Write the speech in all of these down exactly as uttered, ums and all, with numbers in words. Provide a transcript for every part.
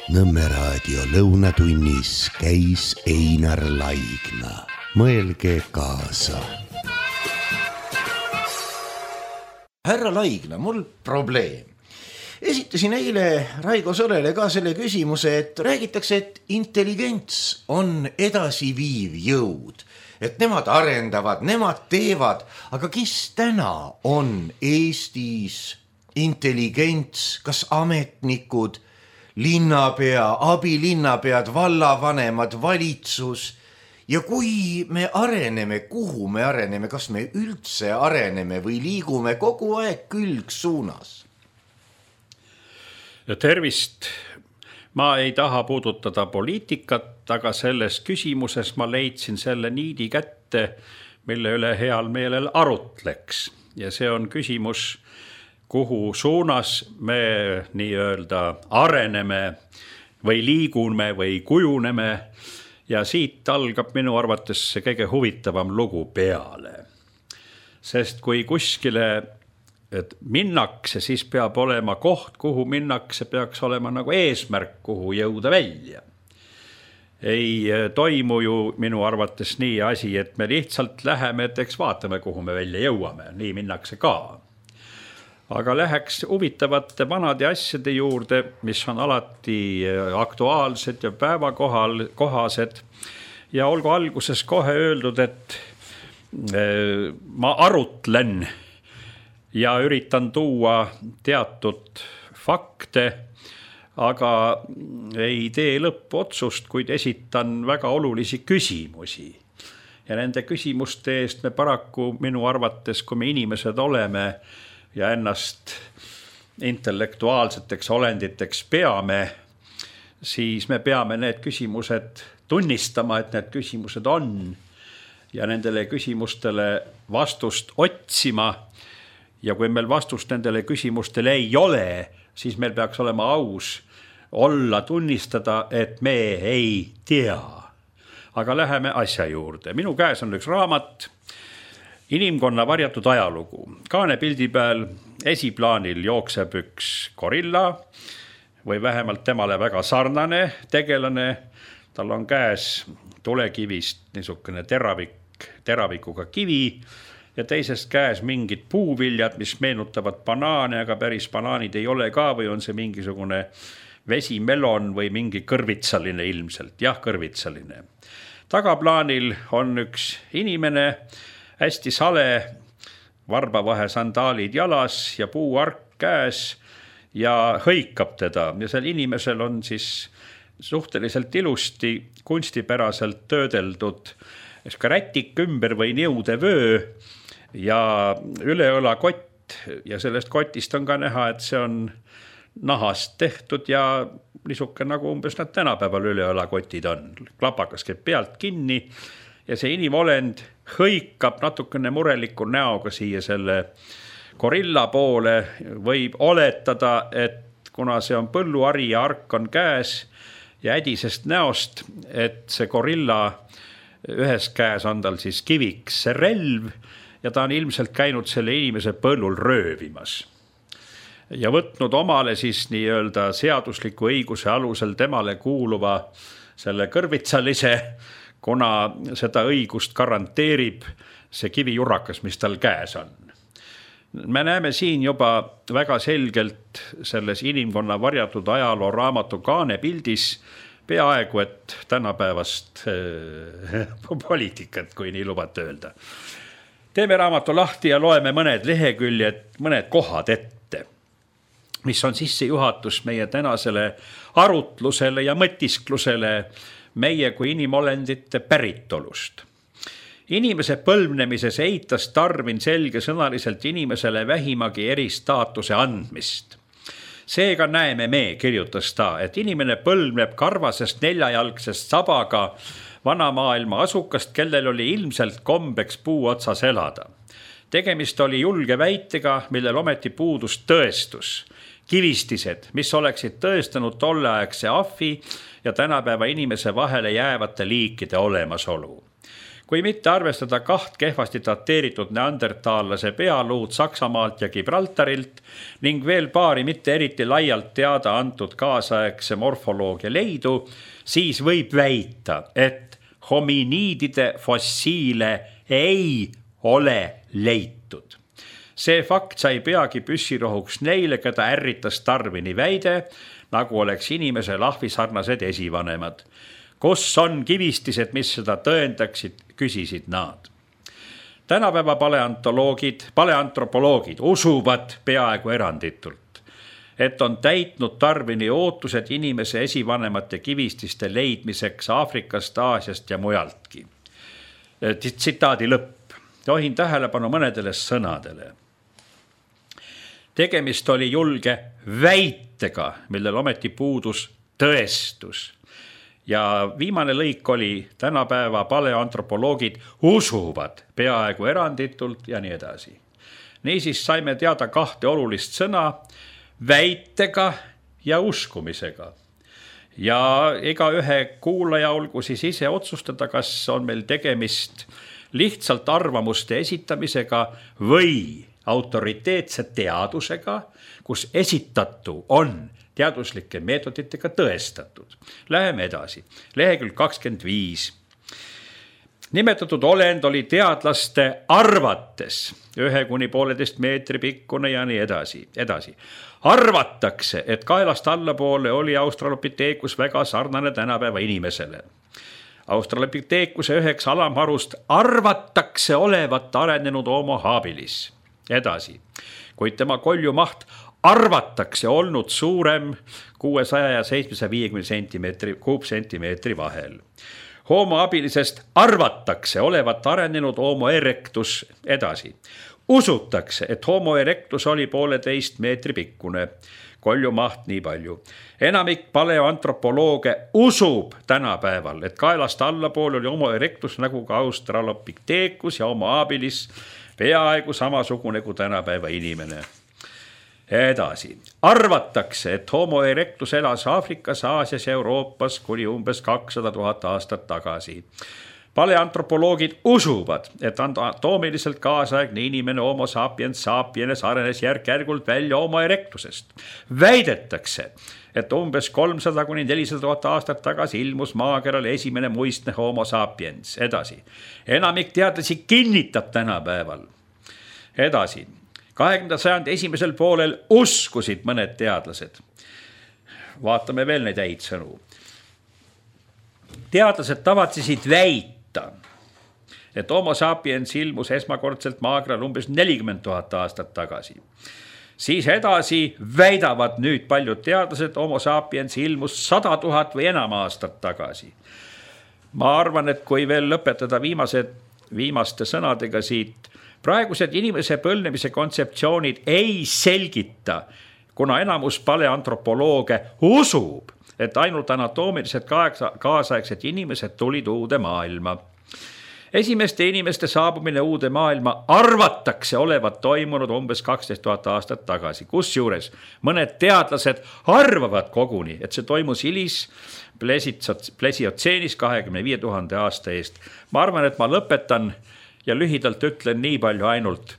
Nõmme raadio lõunatunnis käis Einar Laigna. Mõelge kaasa. Härra Laigna, mul probleem. Esitasin eile Raigo Solele ka selle küsimuse, et räägitakse, et intelligents on edasiviiv jõud. Et nemad arendavad, nemad teevad, aga kes täna on Eestis intelligents, kas ametnikud, linnapea, abilinnapead, vallavanemad, valitsus? Ja kui me areneme, kuhu me areneme, kas me üldse areneme või liigume kogu aeg külgsuunas? Tervist. Ma ei taha puudutada poliitikat, aga selles küsimuses ma leidsin selle niidi kätte, mille üle heal meelel arutleks. Ja see on küsimus, kuhu suunas me nii-öelda areneme või liigume või kujuneme. Ja siit algab minu arvates see kõige huvitavam lugu peale. Sest kui kuskile et minnakse, siis peab olema koht, kuhu minnakse, peaks olema nagu eesmärk, kuhu jõuda välja. Ei toimu ju minu arvates nii asi, et me lihtsalt läheme, et eks vaatame, kuhu me välja jõuame. Nii minnakse ka. Aga läheks huvitavate vanade asjade juurde, mis on alati aktuaalsed ja päevakohal kohased. Ja olgu alguses kohe öeldud, et ma arutlen ja üritan tuua teatud fakte, aga ei tee lõppotsust, kuid esitan väga olulisi küsimusi. Ja nende küsimuste eest me paraku minu arvates, kui me inimesed oleme ja ennast intellektuaalseteks olenditeks peame, siis me peame need küsimused tunnistama, et need küsimused on ja nendele küsimustele vastust otsima. Ja kui meil vastust nendele küsimustele ei ole, siis meil peaks olema aus olla tunnistada, et me ei tea. Aga läheme asja juurde. Minu käes on üks raamat, Inimkonna varjatud ajalugu. Kaane pildi peal esiplaanil jookseb üks gorilla või vähemalt temale väga sarnane tegelane. Tal on käes tulekivist niisugune teravik, teravikuga kivi. Ja teisest käes mingid puuviljad, mis meenutavad banaane, aga päris banaanid ei ole ka või on see mingisugune vesimelon või mingi kõrvitsaline ilmselt. Jah, kõrvitsaline. Tagaplaanil on üks inimene, hästi sale, varbavahe sandaalid jalas ja puuark käes ja hõikab teda. Ja sel inimesel on siis suhteliselt ilusti kunstipäraselt töödeldud ka rätik ümber või niude vöö ja üleõla kott ja sellest kotist on ka näha, et see on nahast tehtud ja niisuke nagu umbes nad tänapäeval üleõla kotid on. Klapakas käib pealt kinni ja see inimolend hõikab natukene mureliku näoga siia selle gorilla poole. Võib oletada, et kuna see on põlluari ja ark on käes ja ädisest näost, et see gorilla ühes käes on tal siis kiviks see relv ja ta on ilmselt käinud selle inimese põllul röövimas. Ja võtnud omale siis nii-öelda seadusliku õiguse alusel temale kuuluva selle kõrvitsalise, kuna seda õigust garanteerib see kivijurakas, mis tal käes on. Me näeme siin juba väga selgelt selles Inimkonna varjatud ajaloo raamatu Kaane pildis peaaegu, et tänapäevast poliitikat, kui nii lubate öelda. Teeme raamatu lahti ja loeme mõned leheküljed, mõned kohad ette, mis on sissejuhatus meie tänasele arutlusele ja mõtisklusele meie kui inimolendite päritolust. Inimese põlvnemises eitas Darwin selgesõnaliselt inimesele vähimagi eristaatuse andmist. Seega näeme me, kirjutas ta, et inimene põlvneb karvasest neljajalgsest sabaga vanamaailma asukast, kellel oli ilmselt kombeks puu otsas elada. Tegemist oli julge väitega, millel ometi puudus tõestus. Kivistised, mis oleksid tõestanud tolleaegse ahvi ja tänapäeva inimese vahele jäävate liikide olemasolu. kui mitte arvestada kaht kehvasti dateeritud neandertaallase pealuud Saksamaalt ja Gibraltarilt ning veel paari mitte eriti laialt teada antud kaasaegse morfoloogia leidu, siis võib väita, et hominiidide fossiile ei ole leitud. See fakt sai peagi püssirohuks neile, keda ärritas Darwini väide, nagu oleks inimese lahvisarnased esivanemad. Kus on kivistised, mis seda tõendaksid, küsisid nad. Tänapäeva paleontoloogid, paleantropoloogid usuvad peaaegu eranditult, et on täitnud Darwini ootused inimese esivanemate kivististe leidmiseks Aafrikast, Aasiast ja mujaltki. Tsitaadi lõpp. Tohin tähelepanu mõnedele sõnadele. Tegemist oli julge väitega, millel ometi puudus tõestus. Ja viimane lõik oli tänapäeva paleoantropoloogid usuvad peaaegu eranditult ja nii edasi. Niisiis saime teada kahte olulist sõna väitega ja uskumisega. Ja ega ühe kuulaja olgu siis ise otsustada, kas on meil tegemist lihtsalt arvamuste esitamisega või autoriteetse teadusega, kus esitatu on teaduslike meetoditega tõestatud. Läheme edasi. Lehekülg kakskümmend viis. Nimetatud olend oli teadlaste arvates ühe kuni pooleteist meetri pikkune ja nii edasi. edasi. Arvatakse, et kaelast allapoole oli Australopithecus väga sarnane tänapäeva inimesele. Australopithecuse üheks alamharust arvatakse olevat arenenud homo habilis. Edasi. Kuid tema koljumaht arvatakse olnud suurem kuuesaja ja seitsmesaja viiekümne sentimeetri, kuupsentimeetri vahel. Homo habilisest arvatakse olevat arenenud homo erectus. Edasi. Usutakse, et homo erectus oli pooleteist meetri pikkune. Koljumaht nii palju. Enamik paleoantropolooge usub tänapäeval, et kaelast allapool oli homo erectus nagu ka Australopithecus ja homo habilis peaaegu samasugune kui tänapäeva inimene. Edasi. Arvatakse, et homo erectus elas Aafrikas, Aasias ja Euroopas kuni umbes kakssada tuhat aastat tagasi. Paleantropoloogid usuvad, et anatoomiliselt kaasaegne inimene homo sapiens sapiens arenes järk-järgult välja homo erectusest. Väidetakse, et umbes kolmsada kuni nelisada tuhat aastat tagasi ilmus maakeral esimene muistne homo sapiens. Edasi. Enamik teadlasi kinnitab tänapäeval. Edasi. kahekümnenda sajandi esimesel poolel uskusid mõned teadlased. Vaatame veel neid häid sõnu. Teadlased tavatsesid väita, et homo sapiens ilmus esmakordselt maakeral umbes nelikümmend tuhat aastat tagasi. Siis edasi väidavad nüüd paljud teadlased, homo sapiens ilmus sada tuhat või enam aastat tagasi. Ma arvan, et kui veel lõpetada viimased, viimaste sõnadega siit, praegused inimese põlnemise kontseptsioonid ei selgita, kuna enamus paleantropolooge usub, et ainult anatoomiliselt kaasaegsed inimesed tulid uude maailma. Esimeste inimeste saabumine uude maailma arvatakse olevat toimunud umbes kaksteist tuhat aastat tagasi, kusjuures mõned teadlased arvavad koguni, et see toimus hilis plesiotseenis kahekümne viie tuhande aasta eest. Ma arvan, et ma lõpetan ja lühidalt ütlen nii palju ainult.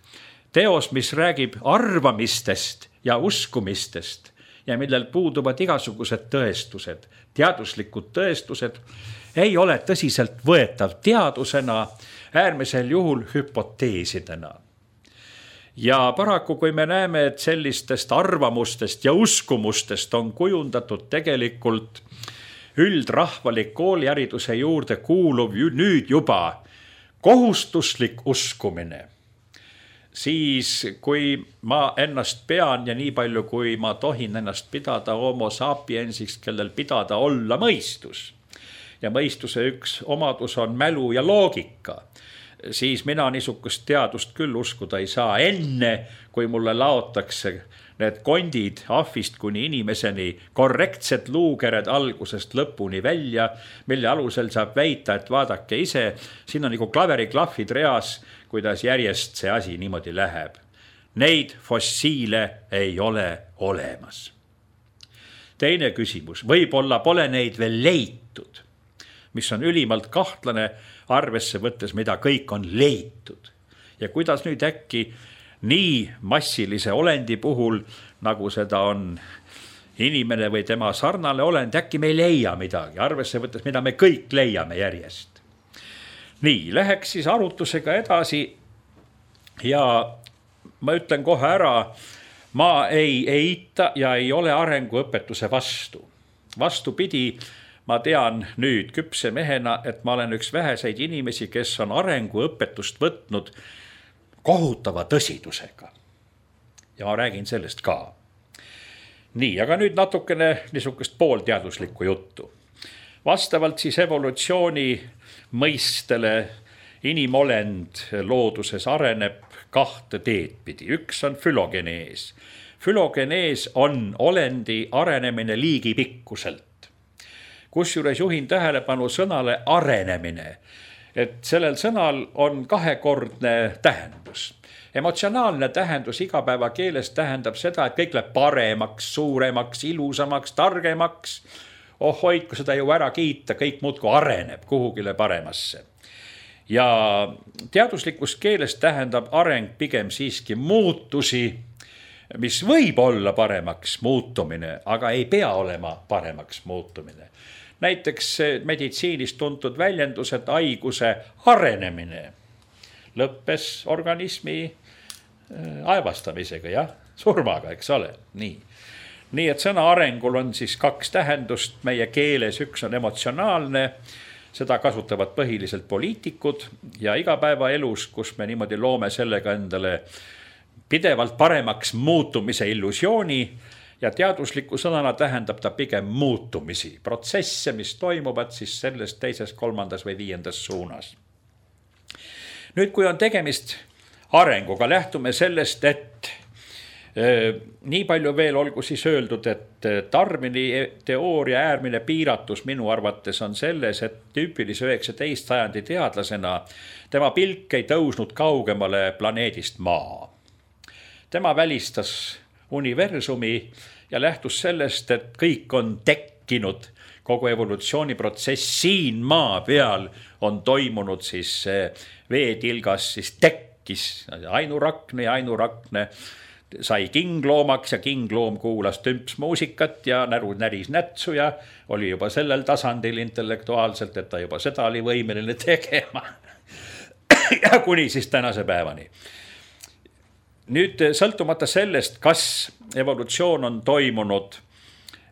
Teos, mis räägib arvamistest ja uskumistest ja millel puuduvad igasugused tõestused, teaduslikud tõestused, ei ole tõsiselt võetav teadusena, äärmisel juhul hüpoteesidena. Ja paraku, kui me näeme, et sellistest arvamustest ja uskumustest on kujundatud tegelikult üldrahvalik koolihariduse juurde kuuluv nüüd juba kohustuslik uskumine, siis kui ma ennast pean ja nii palju, kui ma tohin ennast pidada homo sapiensiks, kellel pidada olla mõistus, ja mõistuse üks omadus on mälu ja loogika, siis mina niisugust teadust küll uskuda ei saa enne, kui mulle laotakse need kondid ahvist kuni inimeseni, korrektsed luukered algusest lõpuni välja, mille alusel saab väita, et vaadake ise, siin on nagu klaveriklahvid reas, kuidas järjest see asi niimoodi läheb. Neid fossiile ei ole olemas. Teine küsimus, võib-olla pole neid veel leitud. mis on ülimalt kahtlane, arvesse võttes, mida kõik on leitud. Ja kuidas nüüd äkki nii massilise olendi puhul, nagu seda on inimene või tema sarnane olend, äkki me ei leia midagi, arvesse võttes, mida me kõik leiame järjest. Nii, läheks siis arutlusega edasi ja ma ütlen kohe ära, ma ei eita ja ei ole arenguõpetuse vastu. Vastupidi, ma tean nüüd küpse mehena, et ma olen üks väheseid inimesi, kes on arenguõpetust võtnud kohutava tõsidusega. Ja ma räägin sellest ka. Nii, aga nüüd natukene niisugust poolteaduslikku juttu. Vastavalt siis evolutsiooni mõistele inimolend looduses areneb kahte teed pidi. Üks on fülogenees. Fülogenees on olendi arenemine liigipikkuselt. Kusjuures juhin tähelepanu sõnale arenemine, et sellel sõnal on kahekordne tähendus. Emotsionaalne tähendus igapäeva keeles tähendab seda, et kõik läheb paremaks, suuremaks, ilusamaks, targemaks. Oh hoid, kui seda ju ära kiita, kõik muudkui areneb kuhugile paremasse. Ja teaduslikus keeles tähendab areng pigem siiski muutusi, mis võib olla paremaks muutumine, aga ei pea olema paremaks muutumine. Näiteks meditsiinis tuntud väljendus, et haiguse arenemine lõppes organismi aevastamisega, jah, surmaga, eks ole, nii. Nii, et sõna arengul on siis kaks tähendust meie keeles, üks on emotsionaalne, seda kasutavad põhiliselt poliitikud ja igapäevaelus, kus me niimoodi loome sellega endale pidevalt paremaks muutumise illusiooni ja teadusliku sõnana tähendab ta pigem muutumisi, protsesse, mis toimuvad siis selles teises, kolmandas või viiendas suunas. Nüüd, kui on tegemist arenguga, lähtume sellest, et e, nii palju veel olgu siis öeldud, et Darwini teooria äärmine piiratus minu arvates on selles, et tüüpilise üheksateist sajandi teadlasena tema pilk ei tõusnud kaugemale planeedist Maa. Tema välistas universumi ja lähtus sellest, et kõik on tekkinud, kogu evolutsiooniprotsess siin Maa peal on toimunud siis veetilgas, siis tekkis ainurakne ja ainurakne sai kingloomaks ja kingloom kuulas tümpsmuusikat ja näru näris nätsu ja oli juba sellel tasandil intellektuaalselt, et ta juba seda oli võimeline tegema. Ja kuni siis tänase päevani. Nüüd sõltumata sellest, kas evolutsioon on toimunud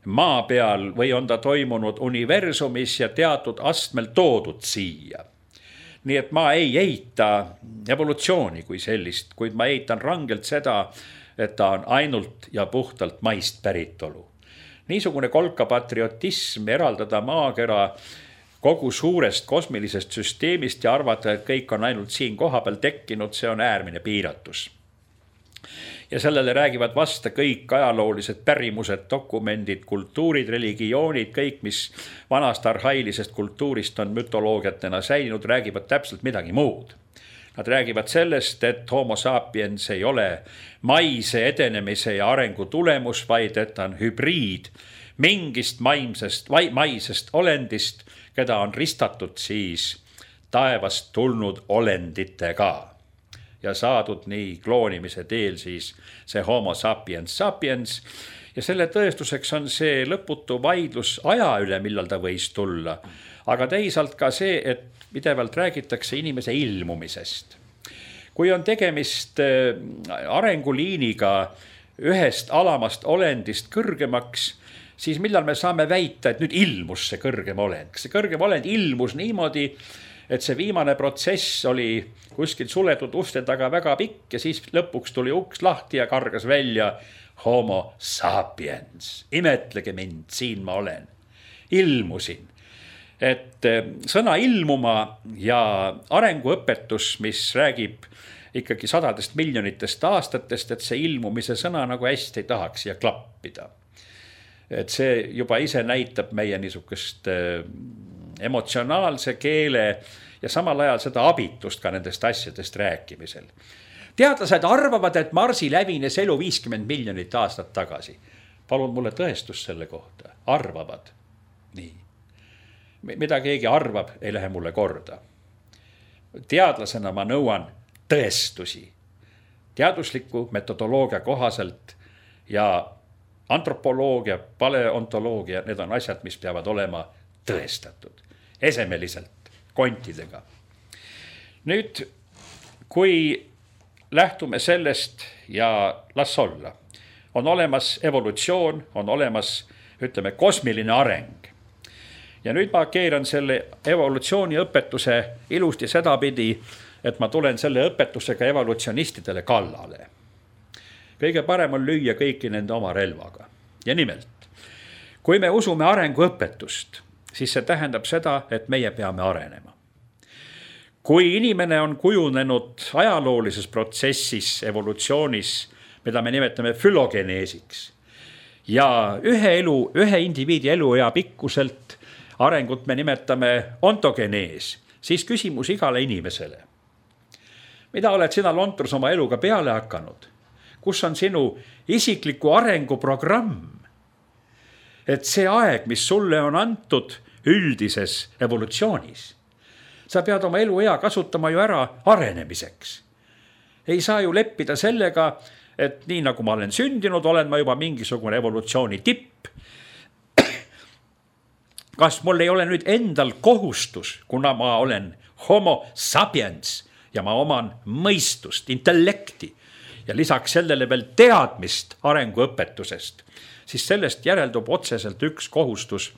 Maa peal või on ta toimunud universumis ja teatud astmel toodud siia. Nii et ma ei eita evolutsiooni kui sellist, kuid ma eitan rangelt seda, et ta on ainult ja puhtalt maist päritolu. Niisugune kolka patriotism eraldada maakera kogu suurest kosmilisest süsteemist ja arvata, et kõik on ainult siin kohapeal tekkinud, see on äärmine piiratus. Ja sellele räägivad vasta kõik ajaloolised pärimused, dokumendid, kultuurid, religioonid, kõik, mis vanast arhailisest kultuurist on mütoloogiatena säilinud, räägivad täpselt midagi muud. Nad räägivad sellest, et homo sapiens ei ole maise edenemise ja arengu tulemus, vaid et on hübriid mingist maimsest, maisest olendist, keda on ristatud siis taevast tulnud olenditega. Ja saadud nii kloonimise teel siis see homo sapiens sapiens. Ja selle tõestuseks on see lõputu vaidlus aja üle, millal ta võis tulla. Aga teisalt ka see, et pidevalt räägitakse inimese ilmumisest. Kui on tegemist arenguliiniga ühest alamast olendist kõrgemaks, siis millal me saame väita, et nüüd ilmus see kõrgem olend. See kõrgem olend ilmus niimoodi, et see viimane protsess oli kuskil suletud uste taga väga pikk ja siis lõpuks tuli uks lahti ja kargas välja homo sapiens. Imetlege mind, siin ma olen. Ilmusin. Et sõna ilmuma ja arenguõpetus, mis räägib ikkagi sadadest miljonitest aastatest, et see ilmumise sõna nagu hästi ei tahaks ja klappida. Et see juba ise näitab meie niisugust emotsionaalse keele ja samal ajal seda abitust ka nendest asjadest rääkimisel. Teadlased arvavad, et Marsi läbines elu viiskümmend miljonit aastat tagasi. Palun mulle tõestus selle kohta. Arvavad. Nii. mida keegi arvab, ei lähe mulle korda. Teadlasena ma nõuan tõestusi. Teadusliku metodoloogia kohaselt ja antropoloogia, paleontoloogia, need on asjad, mis peavad olema tõestatud. Esemeliselt, kontidega. Nüüd, kui lähtume sellest ja las olla, on olemas evolutsioon, on olemas, ütleme, kosmiline areng. Ja nüüd ma keeran selle evolutsiooni õpetuse ilusti sedapidi, et ma tulen selle õpetusega evolutsionistidele kallale. Kõige parem on lüüa kõiki nende oma relvaga. Ja nimelt, kui me usume arenguõpetust, siis see tähendab seda, et meie peame arenema. Kui inimene on kujunenud ajaloolises protsessis, evolutsioonis, mida me nimetame fülogeneesiks, ja ühe elu, ühe indiviidi eluea pikkuselt arengut me nimetame ontogenees, siis küsimus igale inimesele. Mida oled sina, Lontrus, oma eluga peale hakanud? Kus on sinu isikliku arenguprogramm? Et see aeg, mis sulle on antud üldises evolutsioonis, sa pead oma eluea kasutama ju ära arenemiseks. Ei saa ju leppida sellega, et nii nagu ma olen sündinud, olen ma juba mingisugune evolutsiooni tipp. Kas mul ei ole nüüd endal kohustus, kuna ma olen homo sapiens ja ma oman mõistust, intellekti ja lisaks sellele veel teadmist arenguõpetusest, siis sellest järeldub otseselt üks kohustus,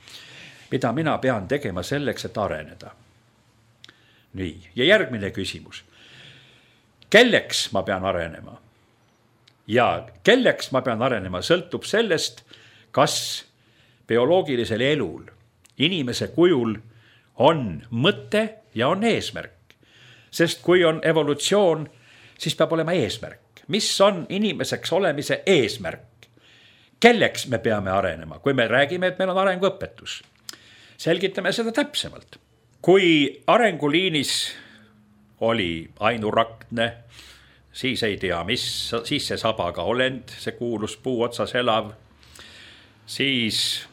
mida mina pean tegema selleks, et areneda. Nii, ja järgmine küsimus. Kelleks ma pean arenema? Ja kelleks ma pean arenema sõltub sellest, kas bioloogilisel elul, inimese kujul on mõte ja on eesmärk. Sest kui on evolutsioon, siis peab olema eesmärk. Mis on inimeseks olemise eesmärk? Kelleks me peame arenema, kui me räägime, et meil on arenguõpetus? Selgitame seda täpsemalt. Kui arenguliinis oli ainuraktne, siis ei tea mis, siis see sabaga olend, see kuulus puu otsas elav, siis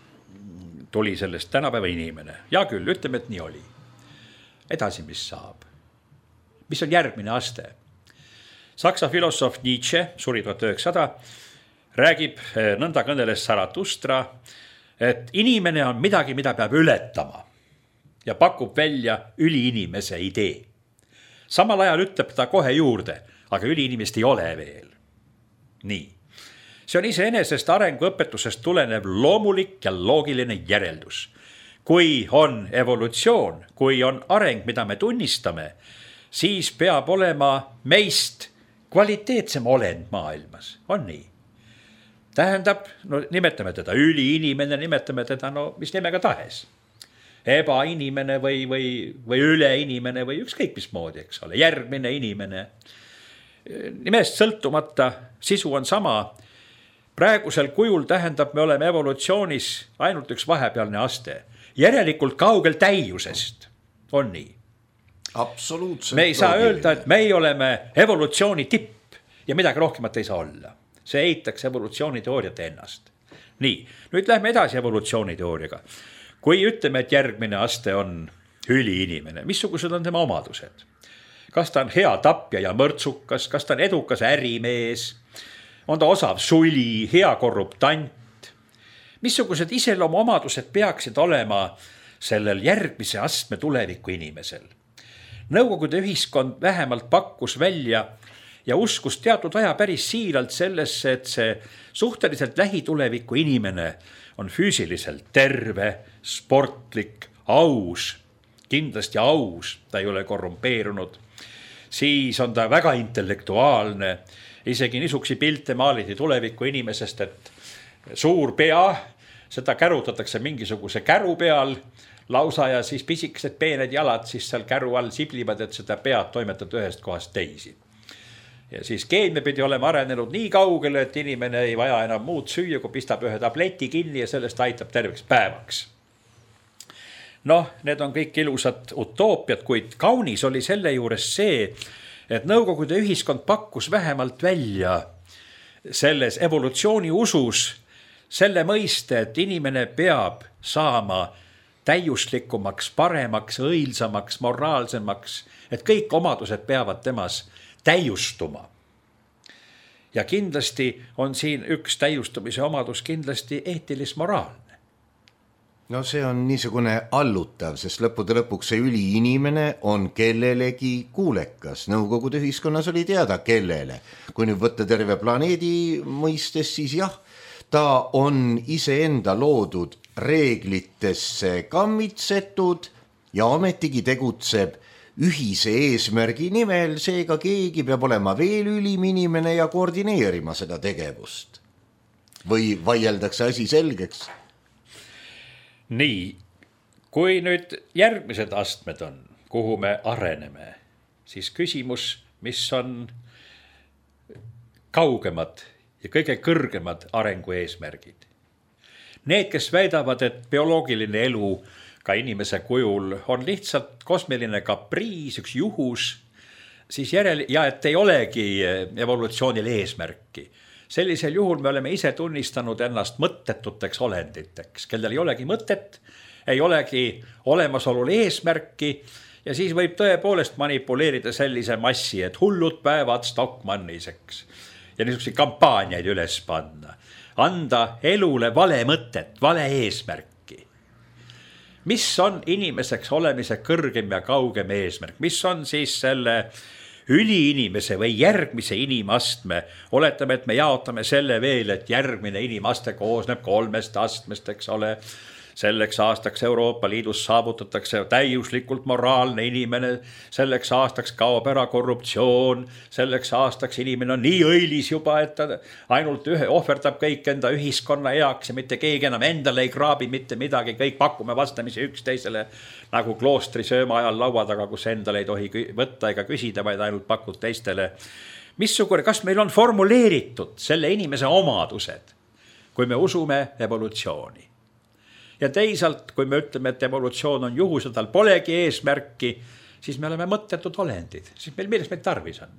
tuli sellest tänapäeva inimene. Ja küll, ütleme, et nii oli. Edasi, mis saab? Mis on järgmine aste? Saksa filosoof Nietzsche, suri tuhat üheksasada, räägib, nõnda kõneles Zarathustra, et inimene on midagi, mida peab ületama ja pakub välja üliinimese idee. Samal ajal ütleb ta kohe juurde, aga üliinimest ei ole veel. Nii. See on iseenesest arenguõpetusest tulenev loomulik ja loogiline järeldus. Kui on evolutsioon, kui on areng, mida me tunnistame, siis peab olema meist kvaliteetsem olend maailmas. On nii? Tähendab, no nimetame teda üliinimene, nimetame teda, no mis nimega tahes. Ebainimene või, või, või üleinimene või ükskõik mis moodi, eks ole, järgmine inimene. Nimest sõltumata sisu on sama. Praegusel kujul tähendab, me oleme evolutsioonis ainult üks vahepealne aste. Järelikult kaugel täiusest. On nii? Absoluutselt. Me ei saa loogiline. Öelda, et me oleme evolutsiooni tipp ja midagi rohkemat ei saa olla. See eitaks evolutsiooniteooriat ennast. Nii, nüüd lähme edasi evolutsiooniteooriaga. Kui ütleme, et järgmine aste on üliinimene, missugused on tema omadused? Kas ta on hea tapja ja mõrtsukas, kas ta on edukas ärimees, on ta osav suli, hea korruptant? Missugused iseloomu omadused peaksid olema sellel järgmise astme tuleviku inimesel? Nõukogude ühiskond vähemalt pakkus välja ja uskus teatud aja päris siiralt sellesse, et see suhteliselt lähituleviku inimene on füüsiliselt terve, sportlik, aus, kindlasti aus, ta ei ole korrumpeerunud. Siis on ta väga intellektuaalne, isegi niisugusi pilte maaliti tuleviku inimesest, et suur pea, seda kärutatakse mingisuguse käru peal lausa ja siis pisikesed peened jalad siis seal käru all siblivad, et seda pead toimetada ühest kohast teisi. Ja siis keemia pidi olema arenenud nii kaugele, et inimene ei vaja enam muud süüa, kui pistab ühe tableti kinni ja sellest aitab terveks päevaks. Noh, need on kõik ilusad utoopiad, kuid kaunis oli selle juures see, et Nõukogude ühiskond pakkus vähemalt välja selles evolutsiooni usus selle mõiste, et inimene peab saama täiuslikumaks, paremaks, õilsamaks, moraalsemaks, et kõik omadused peavad temas täiustuma. Ja kindlasti on siin üks täiustumise omadus kindlasti eetilis-moraalne. No see on niisugune allutav, sest lõppude lõpuks see üliinimene on kellelegi kuulekas. Nõukogude ühiskonnas oli teada kellele. Kui nüüd võtta terve planeedi mõistes, siis jah, ta on iseenda loodud reeglitesse kammitsetud ja ometigi tegutseb ühise eesmärgi nimel, seega keegi peab olema veel ülim inimene ja koordineerima seda tegevust. Või vaieldakse asi selgeks? Nii, kui nüüd järgmised astmed on, kuhu me areneme, siis küsimus, mis on kaugemad ja kõige kõrgemad arengu eesmärgid. Need, kes väidavad, et bioloogiline elu ka inimese kujul on lihtsalt kosmiline kapriis, üks juhus, siis järel, ja et ei olegi evolutsioonil eesmärki. Sellisel juhul me oleme ise tunnistanud ennast mõttetuteks olenditeks, kellel ei olegi mõtet, ei olegi olemasolul eesmärki ja siis võib tõepoolest manipuleerida sellise massi, et hullud päevad Stockmanniseks ja niisuguseid kampaaniaid üles panna. Anda elule vale mõtet, vale eesmärki. Mis on inimeseks olemise kõrgem ja kaugem eesmärk? Mis on siis selle üliinimese või järgmise inimastme? Oletame, et me jaotame selle veel, et järgmine inimaste koosneb kolmest astmest, eks ole. Selleks aastaks Euroopa Liidus saavutatakse täiuslikult moraalne inimene, selleks aastaks kaob ära korruptsioon, selleks aastaks inimene on nii õilis juba, et ta ainult ühe ohverdab kõik enda ühiskonna heaks ja mitte keegi enam endale ei kraabi mitte midagi, kõik pakume vastamisi üksteisele nagu kloostri sööma ajal laua taga, kus endale ei tohi võtta ega küsida, vaid ainult pakud teistele. Missugune, kas meil on formuleeritud selle inimese omadused, kui me usume evolutsiooni? Ja teisalt, kui me ütleme, et evolutsioon on juhus ja tal polegi eesmärki, siis me oleme mõttetud olendid. Siis meil, millest meil tarvis on?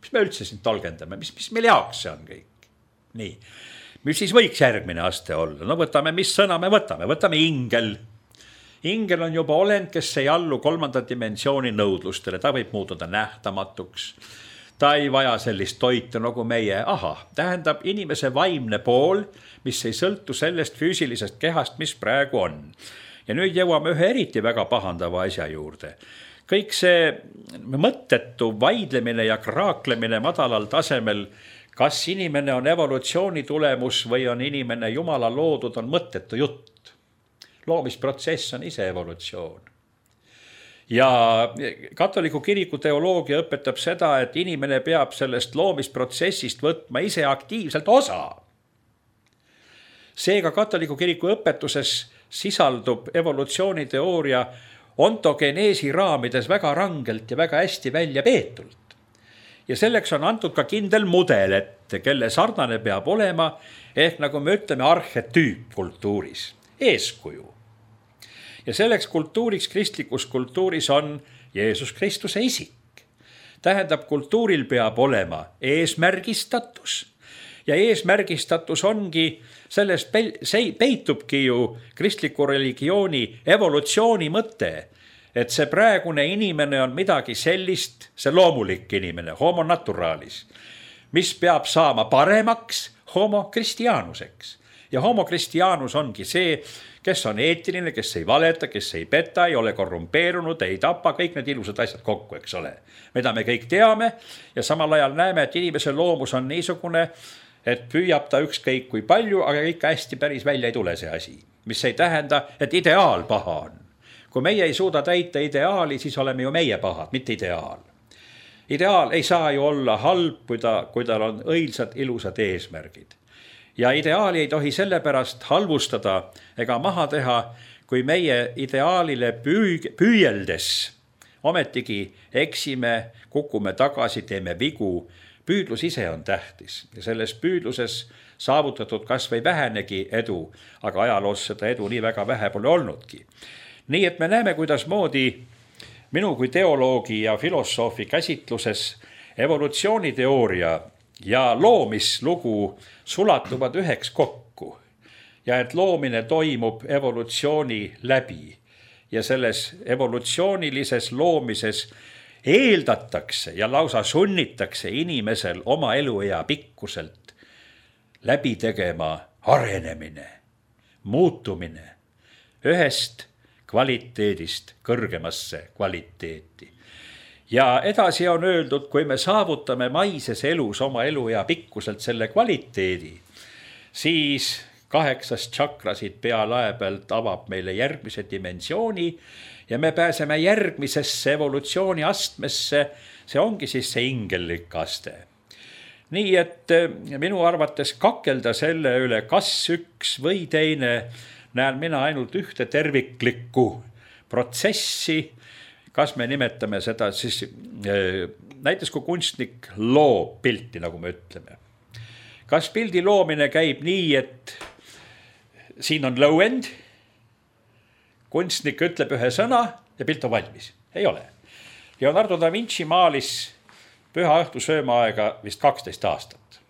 Mis me üldse siin tolgendame? Mis, mis meil jaoks see on kõik? Nii. Mis siis võiks järgmine aste olla? No võtame, mis sõna me võtame? Võtame ingel. Ingel on juba olend, kes ei allu kolmanda dimensiooni nõudlustele. Ta võib muutuda nähtamatuks. Ta ei vaja sellist toitu nagu meie. Aha, tähendab inimese vaimne pool, mis ei sõltu sellest füüsilisest kehast, mis praegu on. Ja nüüd jõuame ühe eriti väga pahandava asja juurde. Kõik see mõttetu vaidlemine ja kraaklemine madalal tasemel, kas inimene on evolutsiooni tulemus või on inimene Jumala loodud, on mõttetu jutt. Loomisprotsess on ise evolutsioon. Ja katoliku kiriku teoloogia õpetab seda, et inimene peab sellest loomisprotsessist võtma ise aktiivselt osa. Seega katoliku kiriku õpetuses sisaldub evolutsiooniteooria ontogeneesi raamides väga rangelt ja väga hästi välja peetult. Ja selleks on antud ka kindel mudel, et kelle sarnane peab olema, ehk nagu me ütleme arhetüüp kultuuris, eeskuju. Ja selleks kultuuriks, kristlikus kultuuris on Jeesus Kristuse isik. Tähendab, kultuuril peab olema eesmärgistatus ja eesmärgistatus ongi, sellest peitubki ju kristliku religiooni evolutsiooni mõte, et see praegune inimene on midagi sellist, see loomulik inimene, homo naturalis, mis peab saama paremaks homo kristianuseks. Ja homo kristianus ongi see, kes on eetiline, kes ei valeta, kes ei peta, ei ole korrumpeerunud, ei tapa, kõik need ilusad asjad kokku, eks ole. Mida me kõik teame ja samal ajal näeme, et inimese loomus on niisugune, et püüab ta ükskõik kui palju, aga ikka hästi päris välja ei tule see asi. Mis ei tähenda, et ideaal paha on. Kui meie ei suuda täita ideaali, siis oleme ju meie pahad, mitte ideaal. Ideaal ei saa ju olla halb, kui, ta, kui tal on õilsad, ilusad eesmärgid. Ja ideaali ei tohi sellepärast halvustada ega maha teha, kui meie ideaalile püü- püüeldes ometigi eksime, kukume tagasi, teeme vigu. Püüdlus ise on tähtis ja selles püüdluses saavutatud kas või vähenegi edu, aga ajaloos seda edu nii väga vähe pole olnudki. Nii et me näeme, kuidas moodi minu kui teoloogi ja filosoofi käsitluses evolutsiooniteooria ja loomislugu sulatuvad üheks kokku ja et loomine toimub evolutsiooni läbi. ja selles evolutsioonilises loomises eeldatakse ja lausa sunnitakse inimesel oma eluea pikkuselt läbi tegema arenemine, muutumine ühest kvaliteedist kõrgemasse kvaliteeti. Ja edasi on öeldud, kui me saavutame maises elus oma eluea pikkuselt selle kvaliteedi, siis kaheksas tšakrasid pealae pealt avab meile järgmise dimensiooni ja me pääseme järgmisesse evolutsiooni astmesse, see ongi siis see ingellik aste. Nii et minu arvates kakelda selle üle, kas üks või teine, näen mina ainult ühte terviklikku protsessi, kas me nimetame seda siis, näiteks kui kunstnik loob pilti, nagu me ütleme. Kas pildi loomine käib nii, et siin on low end, kunstnik ütleb ühe sõna ja pilt on valmis? Ei ole. Leonardo da Vinci maalis püha õhtu söömaaega vist kaksteist aastat.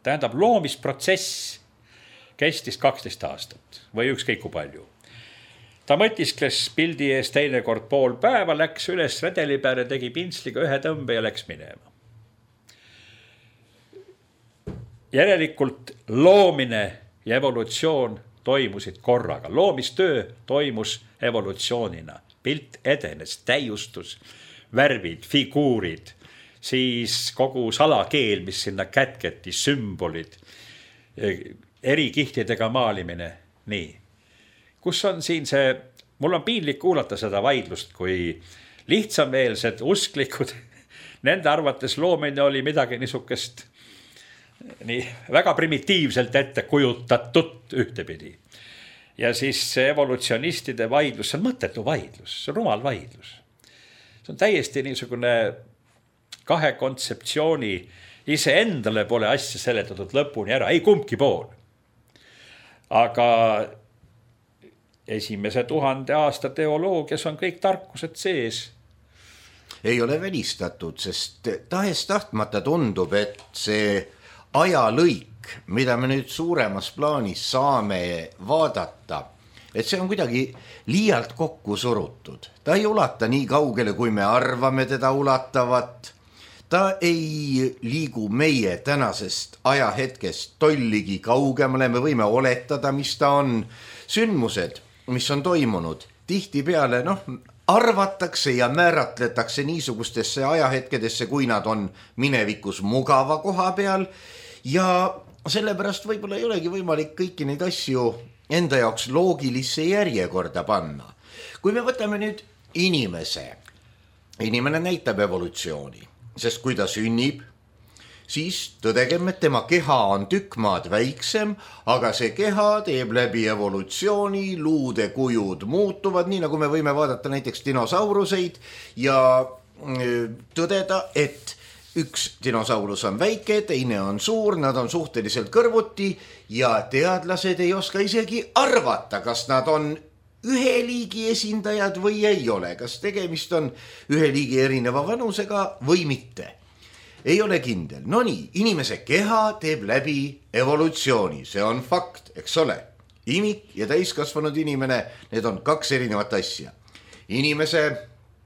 Tähendab, loomisprotsess kestis kaksteist aastat või ükskõik kui palju. Ta mõtiskles pildi ees teinekord pool päeva, läks üles redeli peale, tegi pintsliga ühe tõmbe ja läks minema. Järelikult loomine ja evolutsioon toimusid korraga. Loomistöö toimus evolutsioonina. Pilt edenes, täiustus, värvid, figuurid, siis kogu salakeel, mis sinna kätketi, sümbolid, eri kihtidega maalimine. Nii. Kus on siin see, mul on piinlik kuulata seda vaidlust, kui lihtsameelsed usklikud, nende arvates loomine oli midagi niisugust nii väga primitiivselt ette kujutatud ühtepidi. Ja siis evolutsionistide vaidlus, see on mõttetu vaidlus, see on rumal vaidlus. See on täiesti niisugune kahe kontseptsiooni, ise endale pole asja seletatud lõpuni ära, ei kumbki pool. Aga esimese tuhande aasta teoloogias on kõik tarkused sees. Ei ole välistatud, sest tahes tahtmata tundub, et see ajalõik, mida me nüüd suuremas plaanis saame vaadata, et see on kuidagi liialt kokku surutud. Ta ei ulata nii kaugele, kui me arvame teda ulatavat. Ta ei liigu meie tänasest ajahetkest tolligi kaugemale, me võime oletada, mis ta on. Sündmused, mis on toimunud, tihti peale, noh, arvatakse ja määratletakse niisugustesse ajahetkedesse, kui nad on minevikus mugava koha peal. Ja sellepärast võib-olla ei olegi võimalik kõiki neid asju enda jaoks loogilisse järjekorda panna. Kui me võtame nüüd inimese, inimene näitab evolutsiooni, sest kui ta sünnib, siis tõdegem, et tema keha on tükk maad väiksem, aga see keha teeb läbi evolutsiooni, luude kujud muutuvad, nii nagu me võime vaadata näiteks dinosauruseid ja tõdeda, et üks dinosaurus on väike, teine on suur, nad on suhteliselt kõrvuti ja teadlased ei oska isegi arvata, kas nad on ühe liigi esindajad või ei ole, kas tegemist on ühe liigi erineva vanusega või mitte. Ei ole kindel. No nii, inimese keha teeb läbi evolutsiooni, see on fakt, eks ole. Imik ja täiskasvanud inimene, need on kaks erinevat asja. Inimese,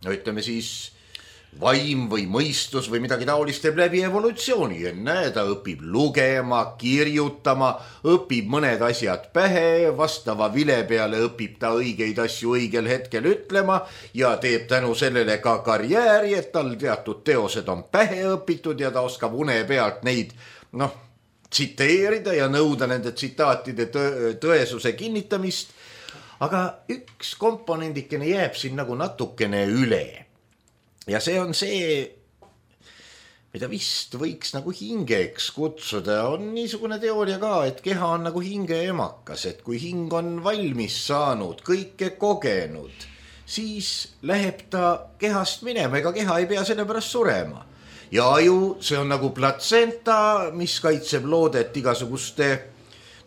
no ütleme siis, vaim või mõistus või midagi taolist teeb läbi evolutsiooni. Enne ta õpib lugema, kirjutama, õpib mõned asjad pähe, vastava vile peale õpib ta õigeid asju õigel hetkel ütlema ja teeb tänu sellele ka karjääri, et tal teatud teosed on pähe õpitud ja ta oskab une pealt neid, noh, tsiteerida ja nõuda nende tsitaatide tõesuse kinnitamist. Aga üks komponendikene jääb siin nagu natukene üle. Ja see on see, mida vist võiks nagu hingeks kutsuda. On niisugune teooria ka, et keha on nagu hinge emakas, et kui hing on valmis saanud, kõike kogenud, siis läheb ta kehast minema, ega keha ei pea selle pärast surema. Ja aju, see on nagu platsenta, mis kaitseb loodet igasuguste,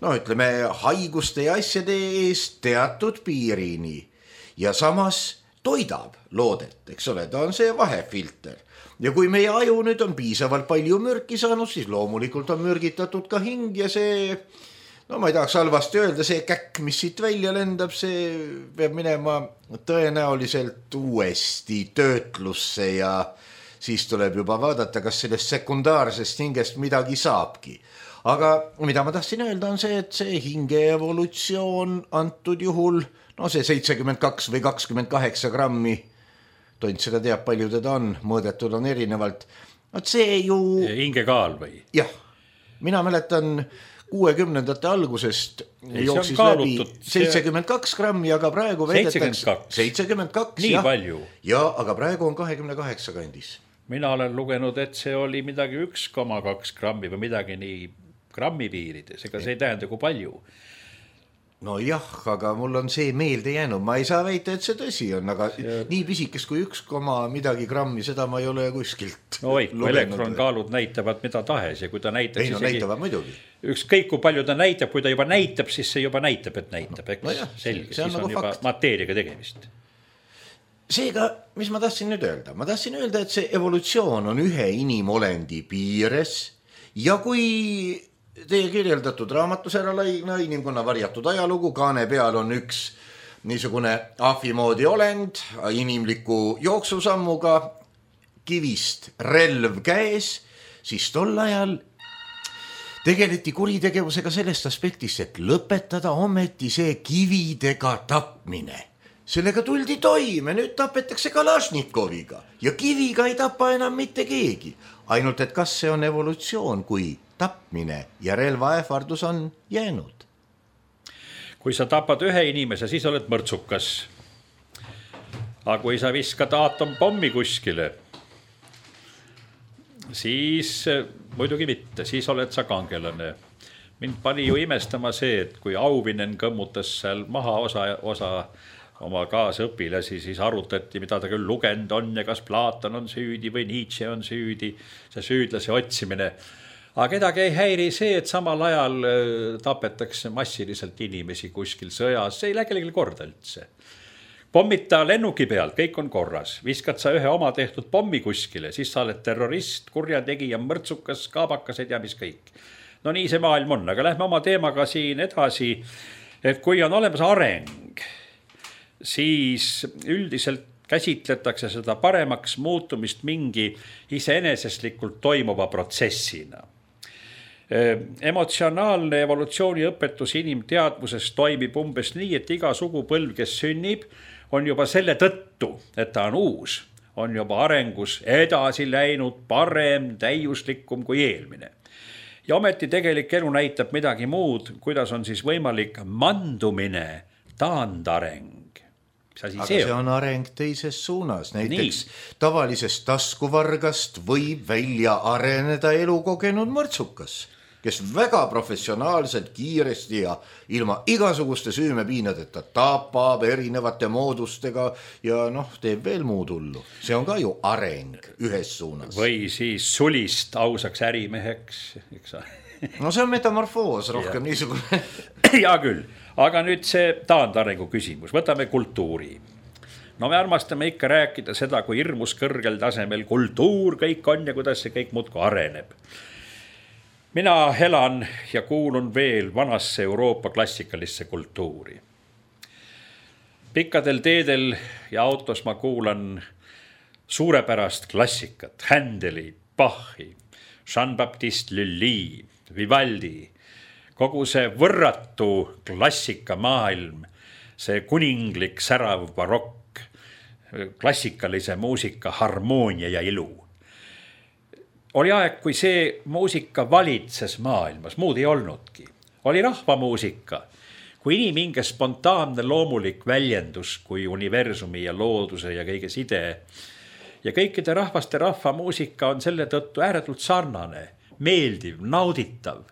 no ütleme, haiguste ja asjade eest teatud piirini. Ja samas toidab loodet, eks ole, ta on see vahefilter. Ja kui meie aju nüüd on piisavalt palju mürki saanud, siis loomulikult on mürgitatud ka hing ja see, no ma ei tahaks halvasti öelda, see käkk, mis siit välja lendab, see peab minema tõenäoliselt uuesti töötlusse ja siis tuleb juba vaadata, kas sellest sekundaarsest hingest midagi saabki. Aga mida ma tahtsin öelda on see, et see hinge evolutsioon antud juhul, no see seitsekümmend kaks või kakskümmend kaheksa grammi, tont seda teab, palju teda on, mõõdetud on erinevalt. Vaat see ju... Hingekaal või? Jah, mina mäletan... kuuekümnendate algusest ei, jooksis läbi seitsekümmend kaks grammi, aga praegu veedetakse seitsekümmend kaks. Nii jah, palju? Ja, aga praegu on kakskümmend kaheksa kandis. Mina olen lugenud, et see oli midagi üks koma kaks grammi või midagi nii grammi piirides, ega see ei tähenda kui palju. No jah, aga mul on see meelde jäänud, ma ei saa väita, et see tõsi on, aga see... nii pisikest kui üks koma midagi grammi, seda ma ei ole kuskilt no oi, kui elektronkaalud näitavad mida tahes ja kui ta näitaks ei no isegi... näitavad muidugi. Ükskõik kui palju ta näitab, kui ta juba näitab, siis see juba näitab, et näitab, eks no jah, selge, siis on, on nagu juba fakt. Mateeriaga tegemist. Seega, mis ma tahtsin nüüd öelda? Ma tahtsin öelda, et see evolutsioon on ühe inimolendi piires ja kui teie kirjeldatud raamatus ära laigna inimkonna varjatud ajalugu, kaane peal on üks niisugune ahvimoodi olend inimliku jooksusammuga kivist relv käes, siis tol ajal tegeleti kuritegevusega sellest aspektist, et lõpetada ometi see kividega tapmine. Sellega tuldi toime, nüüd tapetakse Kalašnikoviga ja kiviga ei tapa enam mitte keegi. Ainult, et kas see on evolutsioon, kui tapmine ja relvaähvardus on jäänud? Kui sa tapad ühe inimese, siis oled mõrtsukas. Aga kui sa viskad aatompommi kuskile, siis muidugi mitte, siis oled sa kangelane. Mind pani ju imestama see, et kui Auvinen kõmmutas seal maha osa, osa oma kaasõpilasi, siis arutati, mida ta küll lugend on ja kas Platon on süüdi või Nietzsche on süüdi, see süüdlase otsimine. Aga kedagi ei häiri see, et samal ajal tapetakse massiliselt inimesi kuskil sõjas, see ei lähe kellelegi korda üldse. Pommita lennuki pealt, kõik on korras. Viskad sa ühe oma tehtud pommi kuskile, siis sa oled terrorist, kurjategija, mõrtsukas, kaabakased ja mis kõik. No nii see maailm on, aga lähme oma teemaga siin edasi, et kui on olemas areng, siis üldiselt käsitletakse seda paremaks muutumist mingi iseeneseslikult toimuva protsessina. Emotsionaalne evolutsiooniõpetus inimteadvuses toimib umbes nii, et iga sugupõlv, kes sünnib, on juba selle tõttu, et ta on uus, on juba arengus edasi läinud parem, täiuslikum kui eelmine. Ja ometi tegelik elu näitab midagi muud, kuidas on siis võimalik mandumine, taandareng. Aga see on areng teises suunas, näiteks nii. Tavalisest taskuvargast võib välja areneda elukogenud mõrtsukas, kes väga professionaalselt, kiiresti ja ilma igasuguste süümepiinadeta tapab erinevate moodustega ja noh, teeb veel muud hullu. See on ka ju areng ühes suunas. Või siis sulist ausaks ärimeheks, eks sa? No see on metamorfoos rohkem ja. Niisugune. Ja küll, aga nüüd see taandarengu küsimus, võtame kultuuri. No me armastame ikka rääkida seda, kui hirmus kõrgel tasemel kultuur kõik on ja kuidas see kõik muudku areneb. Mina elan ja kuulun veel vanasse Euroopa klassikalisse kultuuri. Pikkadel teedel ja autos ma kuulan suurepärast klassikat, Händeli, Bachi, Jean-Baptiste Lully, Vivaldi, kogu see võrratu klassika maailm, see kuninglik särav barokk, klassikalise muusika harmoonia ja ilu. Oli aeg, kui see muusika valitses maailmas, muud ei olnudki. Oli rahvamuusika, kui inimhinge spontaanne loomulik väljendus, kui universumi ja looduse ja kõige side. Ja kõikide rahvaste rahvamuusika on selle tõttu ääretult sarnane, meeldiv, nauditav.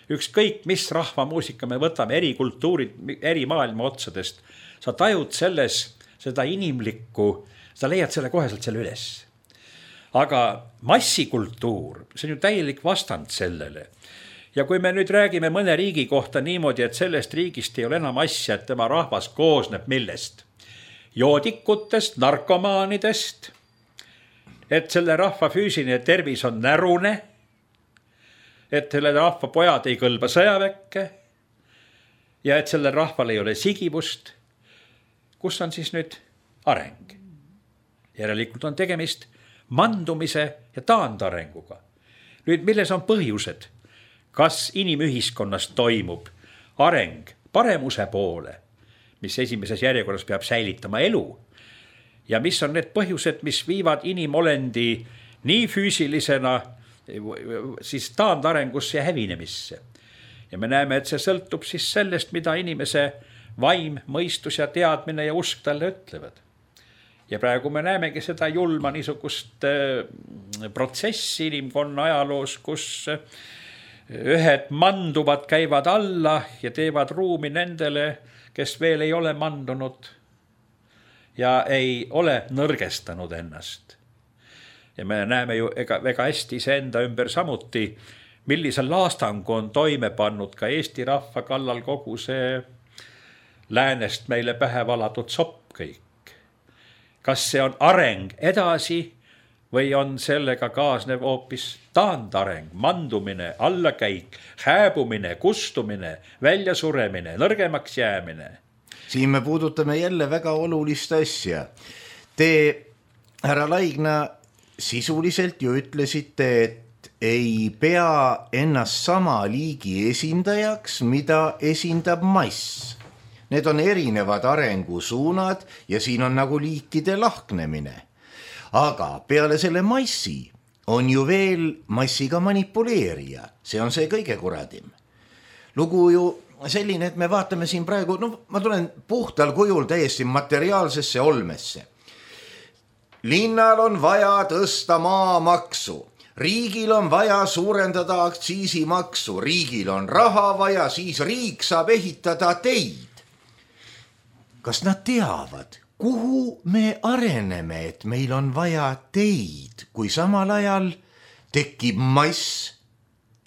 Ükskõik, mis rahvamuusika me võtame eri kultuurid, eri maailma otsadest, sa tajud selles seda inimlikku, sa leiad selle koheselt selle üles. Aga massikultuur, see on ju täielik vastand sellele. Ja kui me nüüd räägime mõne riigi kohta niimoodi, et sellest riigist ei ole enam asja, et tema rahvas koosneb millest? Joodikutest, narkomaanidest, et selle rahva füüsiline tervis on närune, et selle rahva pojad ei kõlba sõjaväkke, ja et sellel rahval ei ole sigivust, kus on siis nüüd areng? Järelikult on tegemist mandumise ja taandarenguga. Nüüd, milles on põhjused? Kas inimühiskonnas toimub areng paremuse poole, mis esimeses järjekorras peab säilitama elu? Ja mis on need põhjused, mis viivad inimolendi nii füüsilisena siis taandarengusse ja hävinemisse? Ja me näeme, et see sõltub siis sellest, mida inimese vaim, mõistus ja teadmine ja usk talle ütlevad. Ja praegu me näemegi seda julma niisugust protsessi inimkonna ajaloos, kus ühed manduvad, käivad alla ja teevad ruumi nendele, kes veel ei ole mandunud ja ei ole nõrgestanud ennast. Ja me näeme ju ega, väga hästi iseenda ümber samuti, millisel laastangu on toime pannud ka Eesti rahva kallal kogu see läänest meile pähe valatud sopp kõik. Kas see on areng edasi või on sellega kaasnev hoopis taandareng, mandumine, allakäik, hääbumine, kustumine, väljasuremine, nõrgemaks jäämine? Siin me puudutame jälle väga olulist asja. Te, härra Laigna, sisuliselt ju ütlesite, et ei pea ennast sama liigi esindajaks, mida esindab mass. Need on erinevad arengusuunad ja siin on nagu liikide lahknemine. Aga peale selle massi on ju veel massiga manipuleerija. See on see kõige kuradim. Lugu ju selline, et me vaatame siin praegu, no ma tulen puhtal kujul täiesti materiaalsesse olmesse. Linnal on vaja tõsta maamaksu. Riigil on vaja suurendada aktsiisimaksu, riigil on raha vaja, siis riik saab ehitada teid. Kas nad teavad, kuhu me areneme, et meil on vaja teid, kui samal ajal tekib mass,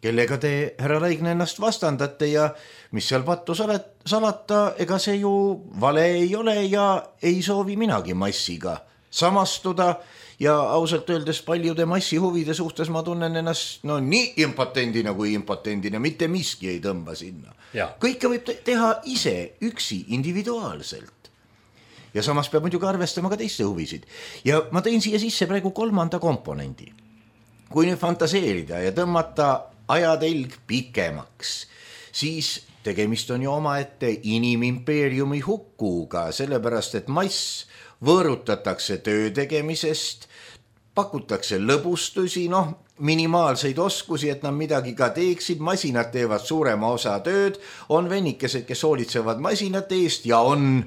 kellega te, härra Laigna, ennast vastandate ja mis seal pattu salata, ega see ju vale ei ole ja ei soovi minagi massiga samastuda. Ja ausalt öeldes paljude massi huvide suhtes ma tunnen ennast no nii impotendina kui impotendina, mitte miski ei tõmba sinna. Ja. Kõike võib teha ise, üksi, individuaalselt. Ja samas peab muidugi arvestama ka teiste huvisid. Ja ma tõin siia sisse praegu kolmanda komponendi. Kui nüüd fantaseerida ja tõmmata ajatelg pikemaks, siis tegemist on ju omaette inimimpeeriumi hukkuga, sellepärast et mass võõrutatakse töö tegemisest, pakutakse lõbustusi, noh, minimaalseid oskusi, et nad midagi ka teeksid, masinad teevad suurema osa tööd, on vennikesed, kes hoolitsevad masinate eest ja on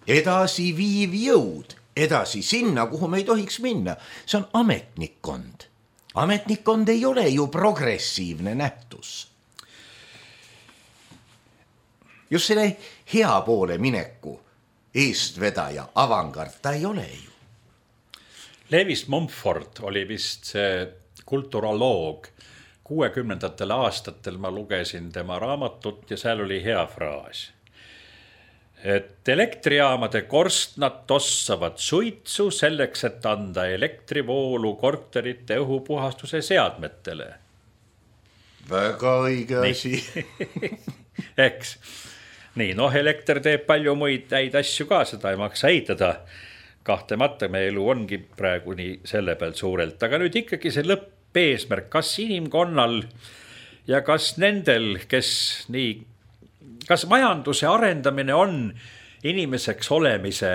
edasi viiv jõud, edasi sinna, kuhu me ei tohiks minna. See on ametnikkond. Ametnikkond ei ole ju progressiivne nähtus. Just selle hea poole mineku eestvedaja, avangard, ta ei ole ju. Lewis Mumford oli vist see kulturoloog. kuuekümnendatel aastatel ma lugesin tema raamatut ja seal oli hea fraas. Et elektrijaamade korstnad tossavad suitsu selleks, et anda elektrivoolu korterite õhupuhastuse seadmetele. Väga õige asi. Eks. Nii, noh, elekter teeb palju muid häid asju ka, seda ei maksa eitada. Kahtlemata me elu ongi praegu nii selle pealt suurelt. Aga nüüd ikkagi see lõppeesmärk, kas inimkonnal ja kas nendel, kes nii, kas majanduse arendamine on inimeseks olemise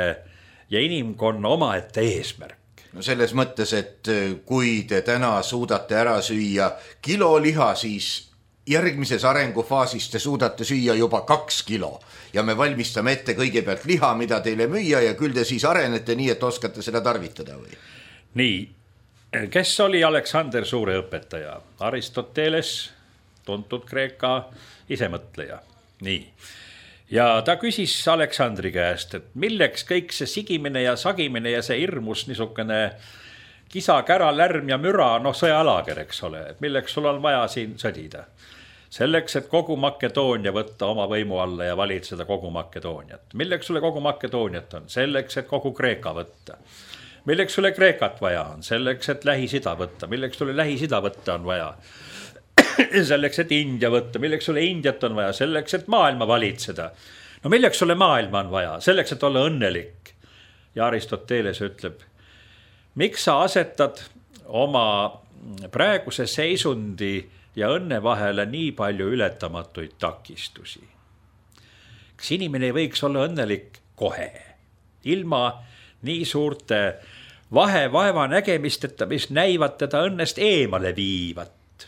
ja inimkonna omaette eesmärk? No selles mõttes, et kui te täna suudate ära süüa kilo liha, siis järgmises arengufaasis te suudate süüa juba kaks kilo ja me valmistame ette kõigepealt liha, mida teile müüa ja küll te siis arenete nii, et oskate seda tarvitada või? Nii, kes oli Aleksander Suure õpetaja? Aristoteles, tuntud Kreeka isemõtleja. Nii. Ja ta küsis Aleksandri käest, et milleks kõik see sigimine ja sagimine ja see hirmus niisugune kisa, kära, lärm ja müra, noh sõjalager, eks ole, et milleks sul on vaja siin sõdida? Selleks, et kogu Makedoonia võtta oma võimu alla ja valitseda kogu Makedooniat. Milleks sulle kogu Makedooniat on? Selleks, et kogu Kreeka võtta. Milleks sulle Kreekat vaja on? Selleks, et Lähis-Ida võtta. Milleks sulle Lähis-Ida võtta on vaja? selleks, et India võtta, milleks sulle Indiat on vaja, selleks, et maailma valitseda. No milleks sulle maailma on vaja, selleks, et olla õnnelik. Ja Aristoteles ütleb, miks sa asetad oma praeguse seisundi ja õnne vahele nii palju ületamatuid takistusi? Kas inimene ei võiks olla õnnelik kohe, ilma nii suurte vahe vaeva nägemisteta, mis näivad teda õnnest eemale viivat?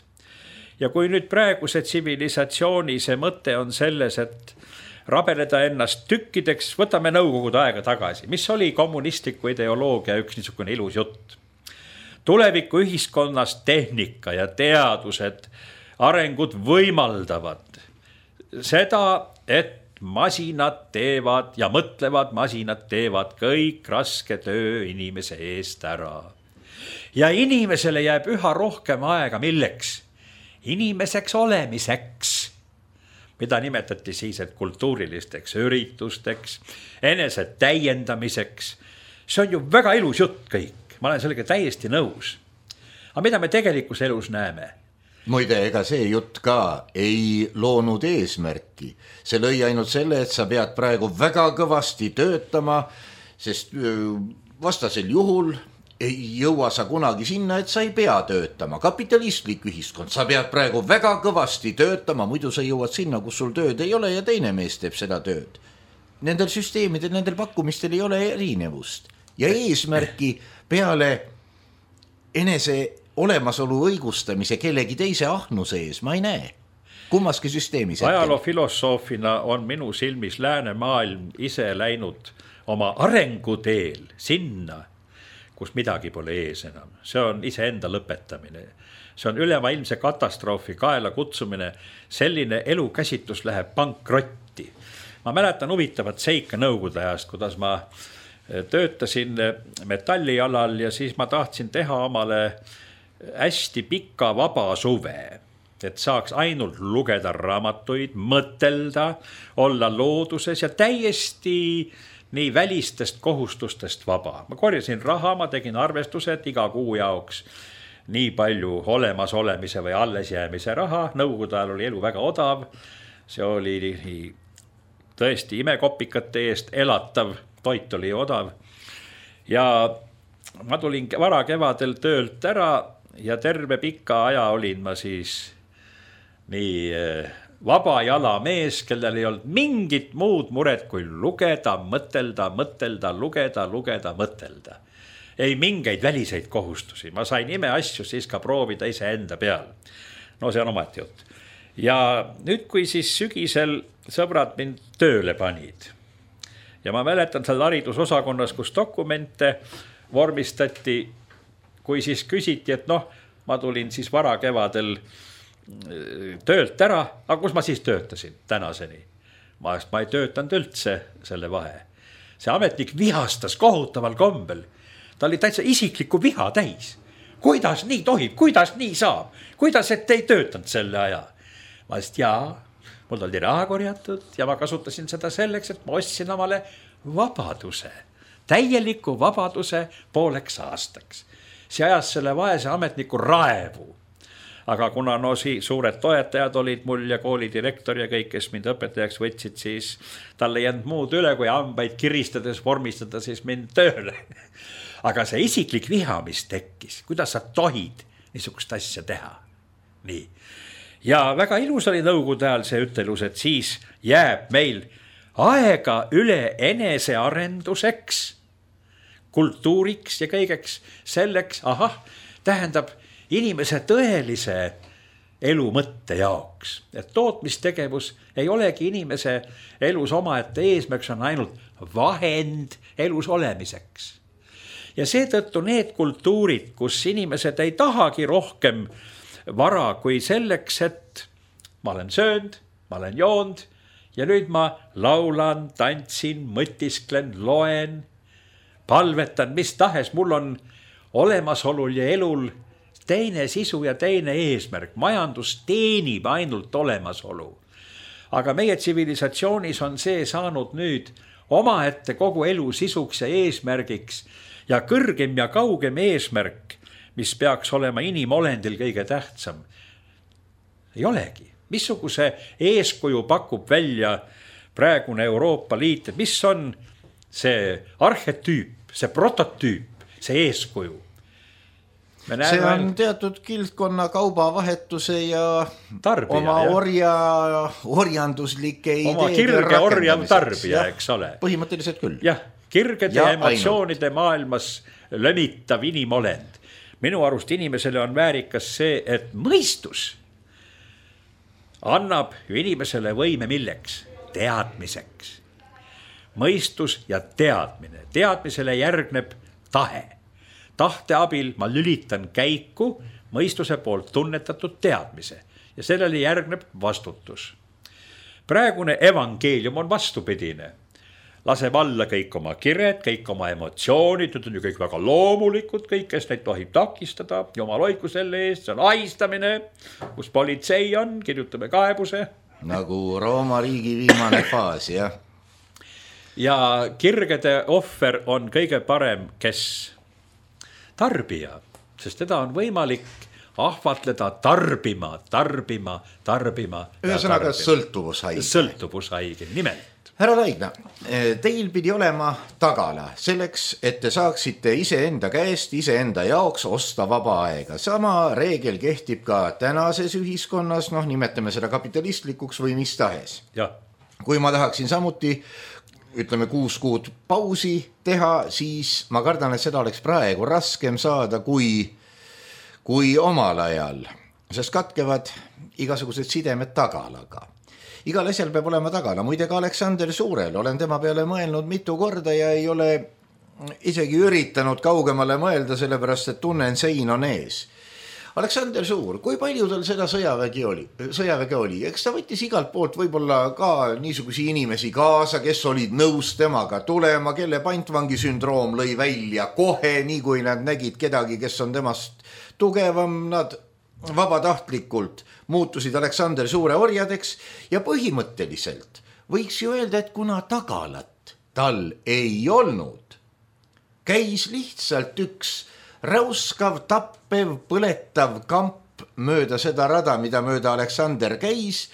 Ja kui nüüd praeguse tsivilisatsiooni see mõte on selles, et rabeleda ennast tükkideks, võtame nõukogude aega tagasi, mis oli kommunistliku ideoloogia üks niisugune ilus jutt. Tuleviku ühiskonnas tehnika ja teadused, arengud võimaldavad seda, et masinad teevad ja mõtlevad masinad teevad kõik raske töö inimese eest ära. Ja inimesele jääb üha rohkem aega milleks? Inimeseks olemiseks, mida nimetati siis, et kultuurilisteks üritusteks, enese täiendamiseks. See on ju väga ilus jutt kõik, ma olen sellega täiesti nõus. Aga mida me tegelikus elus näeme? Muide, ega see jutt ka ei loonud eesmärki. See lõi ainult selle, et sa pead praegu väga kõvasti töötama, sest vastasel juhul ei jõua sa kunagi sinna, et sa ei pea töötama. Kapitalistlik ühiskond, sa pead praegu väga kõvasti töötama, muidu sa jõuad sinna, kus sul tööd ei ole ja teine mees teeb seda tööd. Nendel süsteemidel, nendel pakkumistel ei ole erinevust. Ja eesmärki peale enese olemasolu õigustamise kellegi teise ahnuse ees ma ei näe. Kummaski süsteemis. Ajaloofilosoofina on minu silmis läänemaailm ise läinud oma arenguteel sinna, kus midagi pole ees enam. See on iseenda lõpetamine. See on ülemaailmse katastroofi kaela kutsumine. Selline elukäsitlus läheb pankrotti. Ma mäletan huvitavat seika nõukogude ajast, kuidas ma töötasin metallialal ja siis ma tahtsin teha omale hästi pikka vaba suve, et saaks ainult lugeda raamatuid, mõtelda, olla looduses ja täiesti nii välistest kohustustest vaba. Ma korjasin raha, ma tegin arvestused iga kuu jaoks nii palju olemas olemise või alles jäämise raha. Nõukogude ajal oli elu väga odav. See oli tõesti imekopikate eest elatav, toit oli odav. Ja ma tulin vara kevadel töölt ära ja terve pika aja olin ma siis nii vaba jala mees, kellel ei olnud mingit muud muret kui lugeda, mõtelda, mõtelda, lugeda, lugeda, mõtelda. Ei mingeid väliseid kohustusi. Ma sain ime asju siis ka proovida ise enda peal. No see on omati jutt. Ja nüüd, kui siis sügisel sõbrad mind tööle panid ja ma mäletan seal haridusosakonnas, kus dokumente vormistati, kui siis küsiti, et noh, ma tulin siis vara kevadel töölt ära, aga kus ma siis töötasin tänaseni? Ma, ma ei töötanud üldse selle vahe. See ametnik vihastas kohutaval kombel. Ta oli täitsa isikliku viha täis. Kuidas nii tohib, kuidas nii saab? Kuidas, et ei töötanud selle aja? Ma ütlesin, jaa, mul oli raha korjatud ja ma kasutasin seda selleks, et ma ostsin omale vabaduse, täieliku vabaduse pooleks aastaks. See ajas selle vaese ametniku raevu. Aga kuna no suured toetajad olid mul ja koolidirektor ja kõik, kes mind õpetajaks võtsid, siis tal ei jäänud muud üle, kui hambaid kiristades vormistada siis mind tööle. Aga see isiklik viha, mis tekkis, kuidas sa tohid niisugust asja teha? Nii. Ja väga ilus oli nõukogude ajal see ütelus, et siis jääb meil aega üle enesearenduseks, kultuuriks ja kõigeks selleks, ahah, tähendab inimese tõelise elu mõtte jaoks. Et tootmistegevus ei olegi inimese elus omaette eesmärk, see on ainult vahend elus olemiseks. Ja seetõttu need kultuurid, kus inimesed ei tahagi rohkem vara kui selleks, et ma olen söönud, ma olen joonud ja nüüd ma laulan, tantsin, mõtisklen, loen, palvetan, mis tahes, mul on olemasolul ja elul teine sisu ja teine eesmärk. Majandus teenib ainult olemasolu. Aga meie tsivilisatsioonis on see saanud nüüd omaette kogu elu sisuks ja eesmärgiks ja kõrgem ja kaugem eesmärk, mis peaks olema inimolendil kõige tähtsam. ei olegi. Missuguse eeskuju pakub välja praegune Euroopa Liit, et mis on see arhetüüp, see prototüüp, see eeskuju? See on teatud kildkonna kaubavahetuse ja tarbija, oma jah. orja, orjanduslike ideede oma kirge orjav tarbija, eks ole. Põhimõtteliselt küll. Jah, kirgede ja emotsioonide ainult. Maailmas lömitav inimolend. Minu arust inimesele on väärikas see, et mõistus annab ju inimesele võime milleks? Teadmiseks. Mõistus ja teadmine. Teadmisele järgneb tahe. Tahte abil ma lülitan käiku mõistuse poolt tunnetatud teadmise ja sellele järgneb vastutus. Praegune evangeelium on vastupidine. Laseb alla kõik oma kired, kõik oma emotsioonid, need on ju kõik väga loomulikud, kõik, kes neid tohib takistada. Jumal hoidku selle eest, see on ahistamine, kus politsei on, kirjutame kaebuse. Nagu Rooma riigi viimane faas, jah. Ja kirgede ohver on kõige parem, kes tarbija, sest teda on võimalik ahvatleda tarbima, tarbima, tarbima. Ühesõnaga sõltuvushaige. Sõltuvushaige, nimelt. Härra Laigna, teil pidi olema tagala selleks, et te saaksite iseenda käest, iseenda jaoks osta vaba aega. Sama reegel kehtib ka tänases ühiskonnas, noh nimetame seda kapitalistlikuks või mis tahes. Ja. Kui ma tahaksin samuti ütleme kuus kuud pausi teha, siis ma kardan, et seda oleks praegu raskem saada kui, kui omal ajal, sest katkevad igasugused sidemed tagalaga. Igal asjal peab olema tagala, muide ka Aleksander Suurel, olen tema peale mõelnud mitu korda ja ei ole isegi üritanud kaugemale mõelda, sellepärast et tunnen sein on ees. Aleksander Suur, kui palju tal seda sõjavägi oli, sõjaväge oli? Eks ta võttis igalt poolt võib-olla ka niisugusi inimesi kaasa, kes olid nõus temaga tulema, kelle pantvangi sündroom lõi välja kohe, nii kui nad nägid kedagi, kes on temast tugevam, nad vabatahtlikult muutusid Aleksander Suure orjadeks ja põhimõtteliselt võiks ju öelda, et kuna tagalat tal ei olnud, käis lihtsalt üks räuskav, tappev, põletav kamp mööda seda rada, mida mööda Aleksander käis,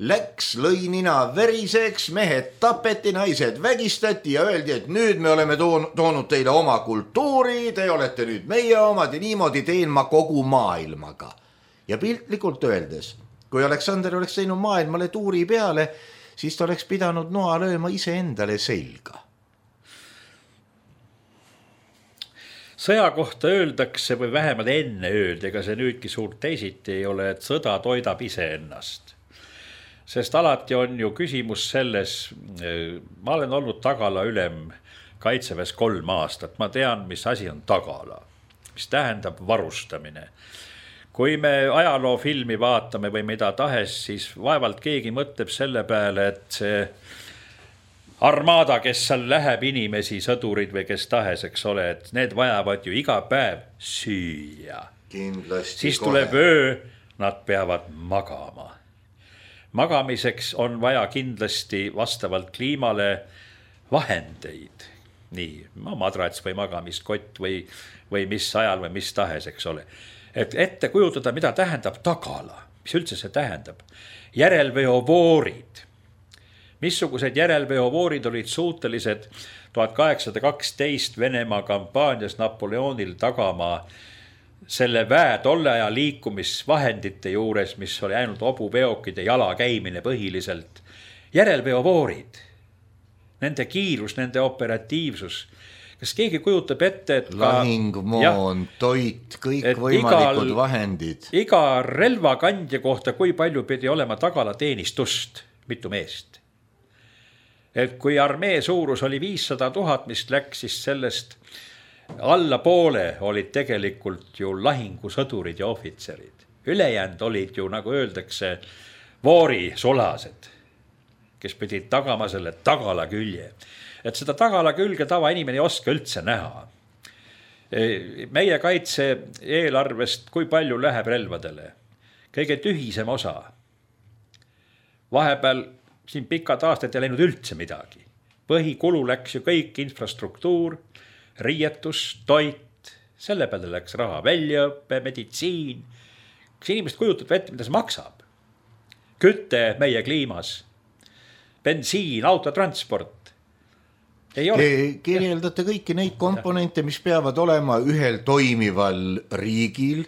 läks, lõi nina veriseks, mehed tapeti, naised vägistati ja öeldi, et nüüd me oleme toonud teile oma kultuuri, te olete nüüd meie omad ja niimoodi teen ma kogu maailmaga. Ja piltlikult öeldes, kui Aleksander oleks teinud maailmale tuuri peale, siis ta oleks pidanud noa lööma ise endale selga. Sõja kohta öeldakse või vähemalt enne öeldi, ega see nüüdki suurt teisiti ei ole, et sõda toidab ise ennast. Sest alati on ju küsimus selles, ma olen olnud tagala ülem kaitseväes kolm aastat, ma tean, mis asi on tagala, mis tähendab varustamine. Kui me ajaloofilmi vaatame või mida tahes, siis vaevalt keegi mõtleb selle peale, et see armaada, kes seal läheb inimesi, sõdurid või kes tahes, eks ole, et need vajavad ju iga päev süüa. Kindlasti siis tuleb kohe. Öö, nad peavad magama. Magamiseks on vaja kindlasti vastavalt kliimale vahendeid. Nii, madrats või magamiskott või, või mis ajal või mis tahes, eks ole. Et ette kujutada, mida tähendab tagala, mis üldse see tähendab. Järelveovoorid. Missugused järelveovoorid olid suutelised tuhat kaheksasada kaksteist Venemaa kampaanias Napoleonil tagama selle väe tolle aja liikumisvahendite juures, mis oli ainult hobuveokid ja jala käimine põhiliselt. Järelveovoorid, nende kiirus, nende operatiivsus. Kas keegi kujutab ette, et ka lahingmoon, toit, kõik võimalikud igal, vahendid. Iga relvakandja kohta, kui palju pidi olema tagala teenistust, mitu meest. Et kui armee suurus oli viissada tuhat, mis läks, siis sellest alla poole olid tegelikult ju lahingusõdurid ja ohvitserid. Ülejäänud olid ju, nagu öeldakse, voori sulased, kes pidid tagama selle tagala külje. Et seda tagala külge tava inimene ei oska üldse näha. Meie kaitse eelarvest, kui palju läheb relvadele? Kõige tühisem osa. Vahepeal siin pikad aastad ei läinud üldse midagi. Põhikulu läks ju kõik infrastruktuur, riietus, toit, selle peale läks raha, väljaõppe, meditsiin. Kas inimesed kujutab ette, mida see maksab? küte meie kliimas, bensiin, autotransport. Ei ole. Te kirjeldate kõiki neid komponente, mis peavad olema ühel toimival riigil.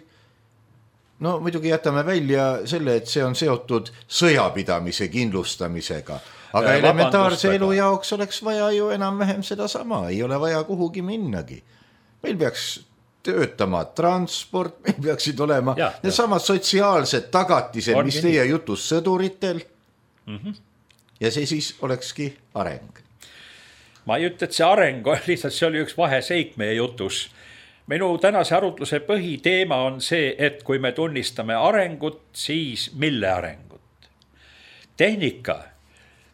No muidugi jätame välja selle, et see on seotud sõjapidamise kindlustamisega. Aga ja, elementaarse elu jaoks oleks vaja ju enam-vähem seda sama. Ei ole vaja kuhugi minnagi. Meil peaks töötama transport, meil peaksid olema ja, need ja. samad sotsiaalsed tagatised, on mis teie jutus sõduritel. Mm-hmm. Ja see siis olekski areng. Ma ei ütle, et see areng, lihtsalt see oli üks vaheseik meie jutus. Minu tänase arutluse põhiteema on see, et kui me tunnistame arengut, siis mille arengut? Tehnika,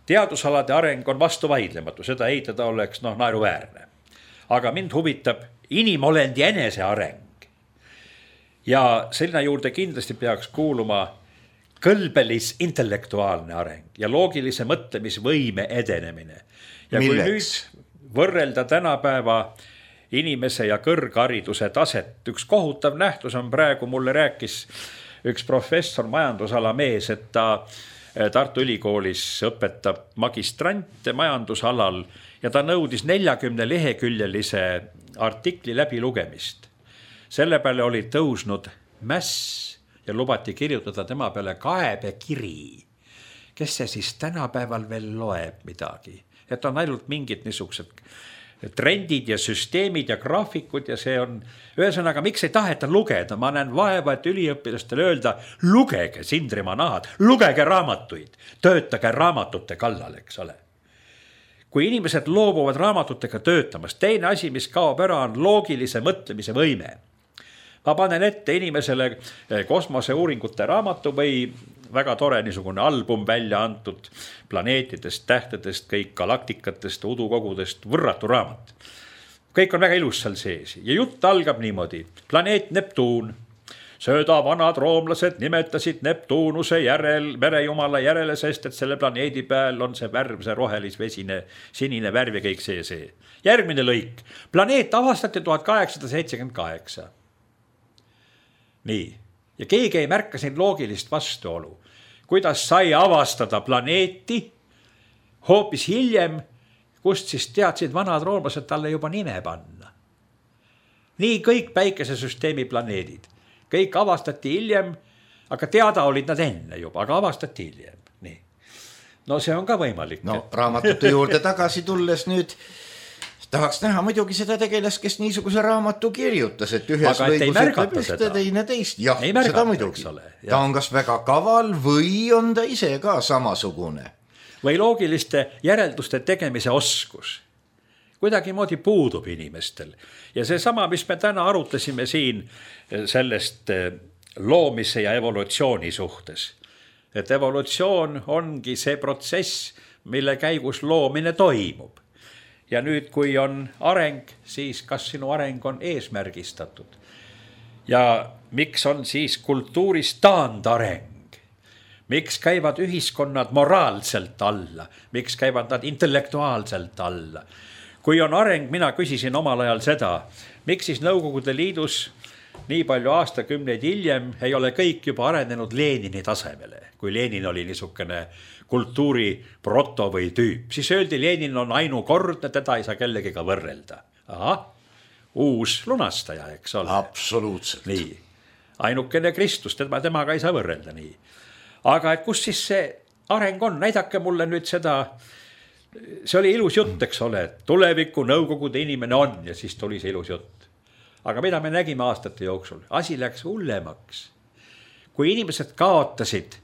teadusalade areng on vastu vaidlematu, seda eitada oleks no, naeruväärne. Aga mind huvitab inimolendi enese areng. Ja selline juurde kindlasti peaks kuuluma kõlbelis intellektuaalne areng ja loogilise mõtlemisvõime edenemine. Ja kui Milleks? nüüd võrrelda tänapäeva inimese ja kõrghariduse taset, üks kohutav nähtus on praegu, mulle rääkis üks professor majandusala mees, et ta Tartu Ülikoolis õpetab magistrante majandusalal ja ta nõudis neljakümne leheküljelise artikli läbi lugemist. Selle peale oli tõusnud mäss ja lubati kirjutada tema peale kaebekiri. Kes see siis tänapäeval veel loeb midagi? Et on ainult mingid niisugused trendid ja süsteemid ja graafikud ja see on, ühesõnaga, miks ei taheta lugeda? Ma näen vaeva, et üliõpilastele öelda, lugege Sindrimaa nahad, lugege raamatuid, töötage raamatute kallal, eks ole. Kui inimesed loobuvad raamatutega töötamast, teine asi, mis kaob ära, on loogilise mõtlemise võime. Ma panen ette inimesele kosmoseuuringute raamatu või väga tore niisugune album välja antud planeetidest, tähtedest, kõik galaktikatest, udukogudest, võrratu raamat. Kõik on väga ilus seal sees ja jutt algab niimoodi. Planeet Neptuun. Sööda vanad roomlased nimetasid Neptuunuse järel, merejumala järele, sest et selle planeedi peal on see värv, see rohelis-vesine, sinine värv ja kõik see see. Järgmine lõik. Planeet avastati tuhat kaheksasada seitsekümmend kaheksa. Nii. Ja keegi ei märka siin loogilist vastuolu. Kuidas sai avastada planeeti hoopis hiljem, kust siis teadsid vanad roomlased talle juba nime panna. Nii kõik päikesesüsteemi planeedid. Kõik avastati hiljem, aga teada olid nad enne juba, aga avastati hiljem. Nii. No see on ka võimalik. No raamatute juurde tagasi tulles nüüd tahaks näha muidugi seda tegelast, kes niisuguse raamatu kirjutas, et ühes lõigus ütleb ühte, teine teist. Jah, seda muidugi. Ta on kas väga kaval või on ta ise ka samasugune. Või loogiliste järelduste tegemise oskus. Kuidagi moodi puudub inimestel. Ja see sama, mis me täna arutasime siin sellest loomise ja evolutsiooni suhtes. Et evolutsioon ongi see protsess, mille käigus loomine toimub. Ja nüüd, kui on areng, siis kas sinu areng on eesmärgistatud? Ja miks on siis kultuuris taandareng? Miks käivad ühiskonnad moraalselt alla? Miks käivad nad intellektuaalselt alla? Kui on areng, mina küsisin omal ajal seda, miks siis Nõukogude Liidus nii palju aastakümneid hiljem ei ole kõik juba arenenud Lenini tasemele, kui Lenin oli niisugune kultuuri proto või tüüp. Siis öeldi, Lenin on ainukordne, teda ei saa kellegiga võrrelda. Aha, uus lunastaja, eks ole. Absoluutselt. Nii, ainukene Kristus, tema, temaga ei saa võrrelda nii. Aga et kus siis see areng on? Näidake mulle nüüd seda, see oli ilus jutt, eks ole, tuleviku Nõukogude inimene on ja siis tuli see ilus jutt. Aga mida me nägime aastate jooksul? Asi läks hullemaks. Kui inimesed kaotasid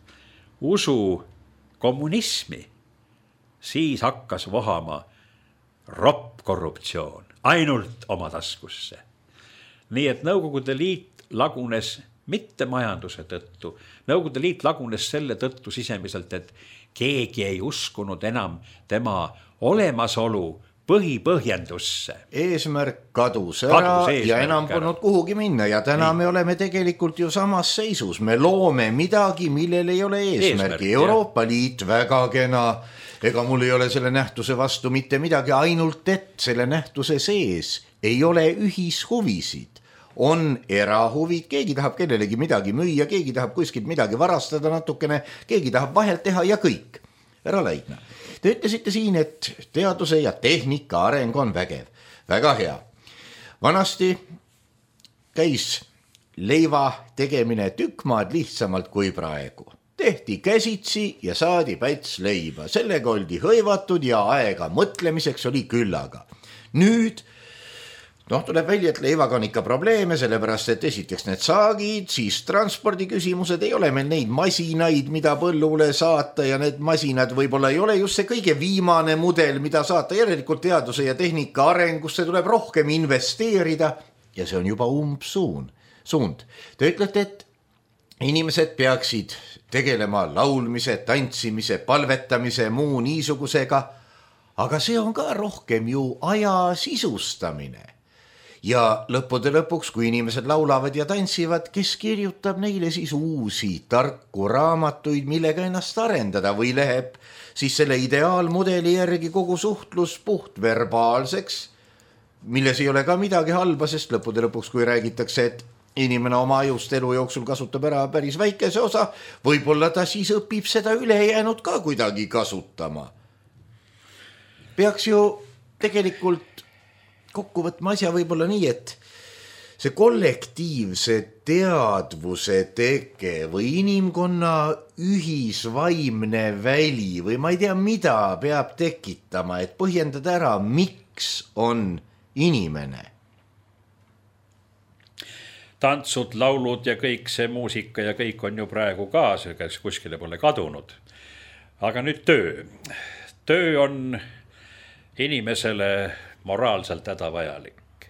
usu kommunismi, siis hakkas vohama ropp korruptsioon ainult oma taskusse. Nii et Nõukogude Liit lagunes mitte majanduse tõttu. Nõukogude Liit lagunes selle tõttu sisemiselt, et keegi ei uskunud enam tema olemasolu põhipõhjendusse. Eesmärk kadus ära kadus eesmärk ja enam polnud kuhugi minna ja täna Nii. me oleme tegelikult ju samas seisus. Me loome midagi, millel ei ole eesmärgi. Eesmärk, Euroopa jah. Liit väga kena, ega mul ei ole selle nähtuse vastu mitte midagi, ainult et selle nähtuse sees ei ole ühishuvisid. on erahuvid, keegi tahab kellelegi midagi müüa, keegi tahab kuskilt midagi varastada natukene, keegi tahab vahelt teha ja kõik. Härra Laigna, te ütlesite siin, et teaduse ja tehnika areng on vägev. Väga hea. Vanasti käis leiva tegemine tükk maad lihtsamalt kui praegu. Tehti käsitsi ja saadi päts leiba. Sellega oldi hõivatud ja aega mõtlemiseks oli küllaga. Nüüd noh, tuleb välja, et leivaga on ikka probleeme, sellepärast, et esiteks need saagid, siis transpordiküsimused, ei ole meil neid masinaid, mida põllule saata ja need masinad võib-olla ei ole just see kõige viimane mudel, mida saata. Järelikult teaduse ja tehnika arengusse tuleb rohkem investeerida ja see on juba umbsuun. Suund. Te ütlete, et inimesed peaksid tegelema laulmise, tantsimise, palvetamise, muu niisugusega, aga see on ka rohkem ju aja sisustamine. Ja lõppude lõpuks, kui inimesed laulavad ja tantsivad, kes kirjutab neile siis uusi tarku raamatuid, millega ennast arendada või läheb siis selle ideaalmudeli järgi kogu suhtlus puhtverbaalseks, milles ei ole ka midagi halba, sest lõppude lõpuks, kui räägitakse, et inimene oma ajust elu jooksul kasutab ära päris väikese osa, võib-olla ta siis õpib seda ülejäänud ka kuidagi kasutama. Peaks ju tegelikult kokku võtma asja võib-olla nii, et see kollektiivse teadvuse teke või inimkonna ühisvaimne väli või ma ei tea, mida peab tekitama, et põhjendada ära, miks on inimene. Tantsud, laulud ja kõik see muusika ja kõik on ju praegu ka, kes kuskile pole kadunud. Aga nüüd töö. Töö on inimesele moraalselt hädavajalik.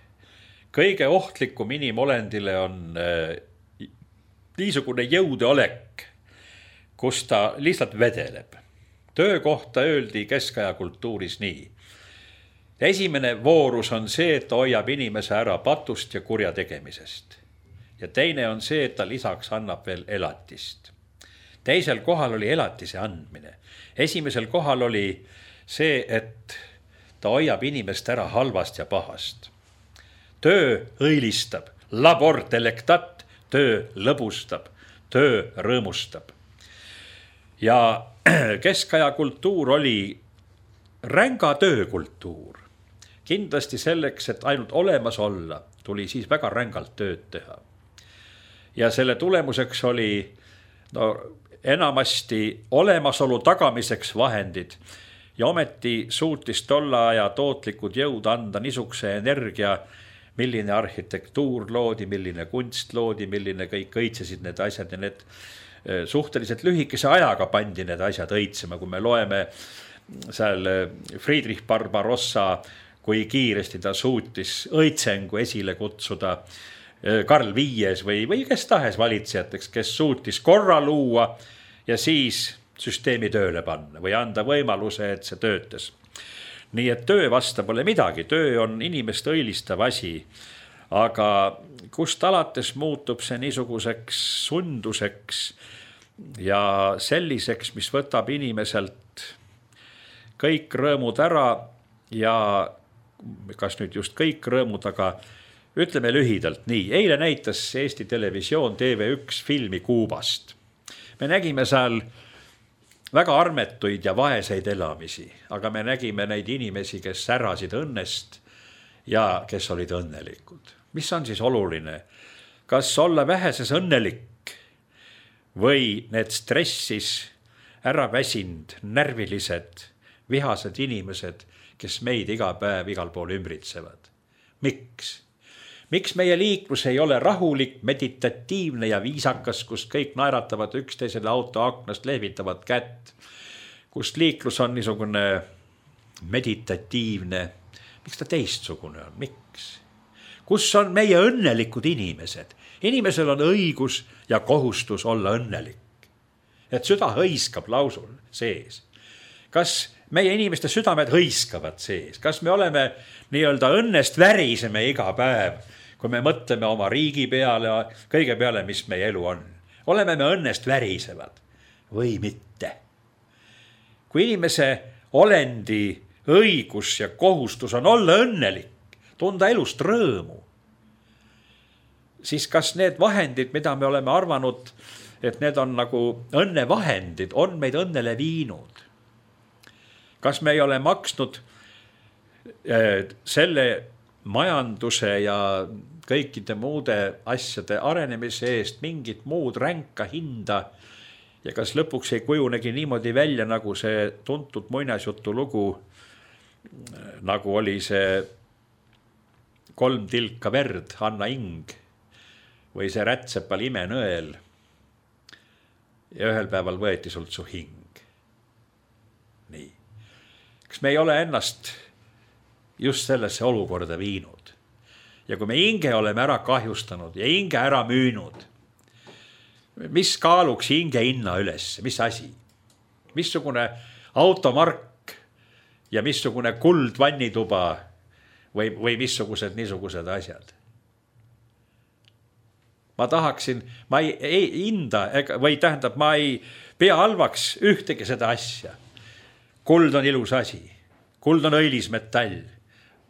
Kõige ohtlikum inimolendile on niisugune jõudeolek, kus ta lihtsalt vedeleb. Töö kohta öeldi keskaja kultuuris nii. Esimene voorus on see, et ta hoiab inimese ära patust ja kurja tegemisest. Ja teine on see, et ta lisaks annab veel elatist. Teisel kohal oli elatise andmine. Esimesel kohal oli see, et ta hoiab inimest ära halvast ja pahast. Töö õilistab, labor delectat, töö lõbustab, töö rõõmustab. Ja keskaja kultuur oli ränga töökultuur. Kindlasti selleks, et ainult olemas olla, tuli siis väga rängalt tööd teha. Ja selle tulemuseks oli no, enamasti olemasolu tagamiseks vahendid ja ometi suutis tolla aja tootlikud jõud anda niisuguse energia, milline arhitektuur loodi, milline kunst loodi, milline kõik õitsesid need asjad ja need suhteliselt lühikese ajaga pandi need asjad õitsema, kui me loeme seal Friedrich Barbarossa, kui kiiresti ta suutis õitsengu esile kutsuda Karl Viies või, või kes tahes valitsejateks, kes suutis korra luua ja siis süsteemi tööle panna või anda võimaluse, et see töötas. Nii et töö vasta pole midagi, töö on inimest õilistav asi, aga kust alates muutub see niisuguseks sunduseks ja selliseks, mis võtab inimeselt kõik rõõmud ära ja kas nüüd just kõik rõõmud, aga ütleme lühidalt nii. Eile näitas Eesti Televisioon T V üks filmi Kuubast. Me nägime seal väga armetuid ja vaeseid elamisi, aga me nägime neid inimesi, kes särasid õnnest ja kes olid õnnelikud. Mis on siis oluline? Kas olla väheses õnnelik või need stressis ära väsind, närvilised, vihased inimesed, kes meid iga päev igal pool ümbritsevad? Miks? Miks meie liiklus ei ole rahulik, meditatiivne ja viisakas, kus kõik naeratavad üksteisele auto aknast, lehvitavad kätt, kus liiklus on niisugune meditatiivne? Miks ta teistsugune on? Miks? Kus on meie õnnelikud inimesed? Inimesel on õigus ja kohustus olla õnnelik. Et süda hõiskab lausul sees. Kas meie inimeste südamed hõiskavad sees? Kas me oleme nii-öelda õnnest väriseme iga päev, kui me mõtleme oma riigi peale, kõige peale, mis meie elu on? Oleme me õnnest värisevad või mitte? Kui inimese olendi õigus ja kohustus on olla õnnelik, tunda elust rõõmu, siis kas need vahendid, mida me oleme arvanud, et need on nagu õnnevahendid, on meid õnnele viinud? Kas me ei ole maksnud selle majanduse ja kõikide muude asjade arenemise eest mingit muud ränka hinda ja kas lõpuks ei kujunegi niimoodi välja, nagu see tuntud muinasjutu lugu, nagu oli see kolm tilka verd, Anna Ing või see Rätsepal imenõel ja ühel päeval võeti sult su hing. Nii. Kas me ei ole ennast just sellesse olukorda viinud? Ja kui me hinge oleme ära kahjustanud ja hinge ära müünud, mis kaaluks hinge hinna üles? Mis asi? Missugune automark ja missugune kuld vannituba või, või missugused niisugused asjad? Ma tahaksin, ma ei, ei hinda või tähendab, ma ei pea halvaks ühtegi seda asja. Kuld on ilus asi. Kuld on õilismetall.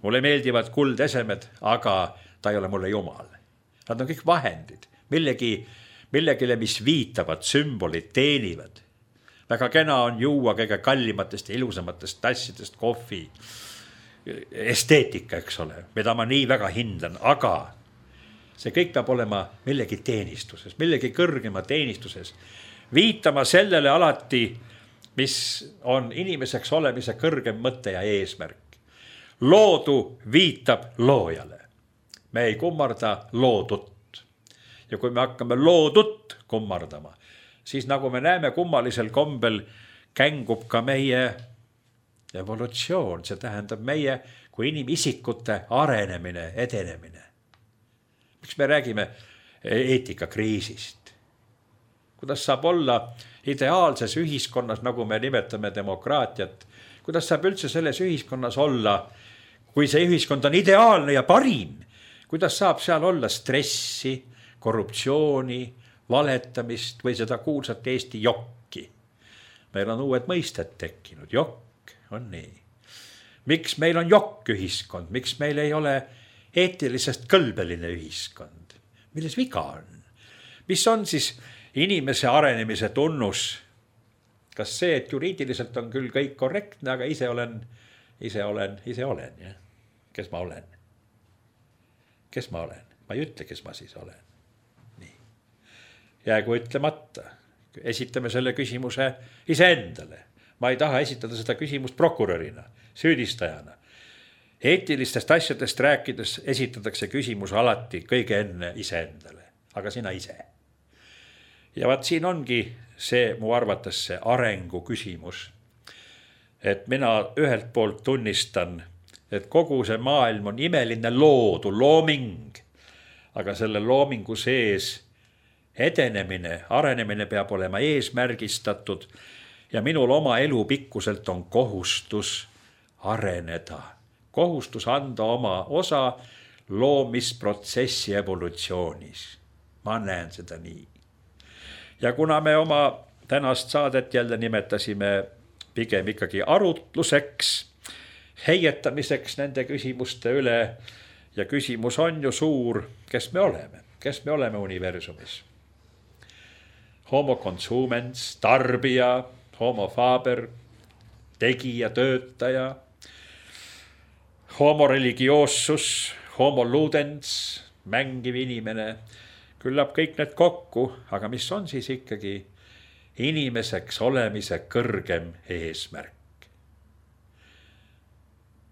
Mulle meeldivad kuldesemed, aga ta ei ole mulle jumal. Nad on kõik vahendid, millegi, millegile, mis viitavad, sümbolid, teenivad. Väga kena on juua kõige kallimatest ja ilusamatest tassidest kohvi. Esteetika, eks ole, mida ma nii väga hindan, aga see kõik peab olema millegi teenistuses, millegi kõrgema teenistuses. Viitama sellele alati, mis on inimeseks olemise kõrgem mõte ja eesmärk. Loodu viitab loojale. Me ei kummarda loodut. Ja kui me hakkame loodut kummardama, siis nagu me näeme kummalisel kombel, kängub ka meie evolutsioon. See tähendab meie kui inimisikute arenemine, edenemine. Miks me räägime eetikakriisist? Kuidas saab olla ideaalses ühiskonnas, nagu me nimetame demokraatiat, kuidas saab üldse selles ühiskonnas olla, kui see ühiskond on ideaalne ja parim, kuidas saab seal olla stressi, korruptsiooni, valetamist või seda kuulsat Eesti jokki? Meil on uued mõisted tekkinud, jokk on nii. Miks meil on jokk ühiskond, miks meil ei ole eetilisest kõlbeline ühiskond? Milles viga on? Mis on siis inimese arenemise tunnus? Kas see, et juriidiliselt on küll kõik korrektne, aga ise olen, ise olen, ise olen, jah? Kes ma olen? Kes ma olen? Ma ei ütle, kes ma siis olen. Nii. Jäägu ütlemata. Esitame selle küsimuse iseendale. Ma ei taha esitada seda küsimust prokurörina, süüdistajana. Eetilistest asjadest rääkides esitatakse küsimus alati kõige enne iseendale. Aga sina ise. Ja vaat siin ongi see mu arvates see arengu küsimus. Et mina ühelt poolt tunnistan, et kogu see maailm on imeline loodu, looming. Aga selle loomingu sees edenemine, arenemine peab olema eesmärgistatud ja minul oma elu pikkuselt on kohustus areneda. Kohustus anda oma osa loomisprotsessi evolutsioonis. Ma näen seda nii. Ja kuna me oma tänast saadet jälle nimetasime pigem ikkagi arutluseks, heietamiseks nende küsimuste üle ja küsimus on ju suur, kes me oleme, kes me oleme universumis. Homo consumens, tarbija, homo faber, tegija, töötaja, homo religioossus, homo ludens, mängiv inimene, küllap kõik need kokku, aga mis on siis ikkagi inimeseks olemise kõrgem eesmärk?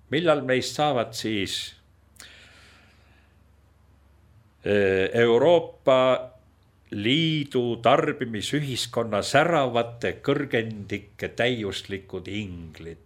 Millal meist saavad siis Euroopa Liidu tarbimisühiskonna säravate kõrgendike täiuslikud inglid?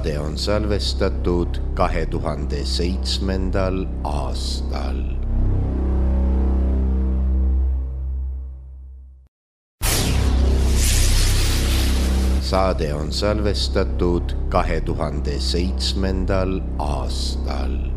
saade on salvestatud kahe tuhande seitsmendal aastal. Saade on salvestatud kahe tuhande seitsmendal aastal.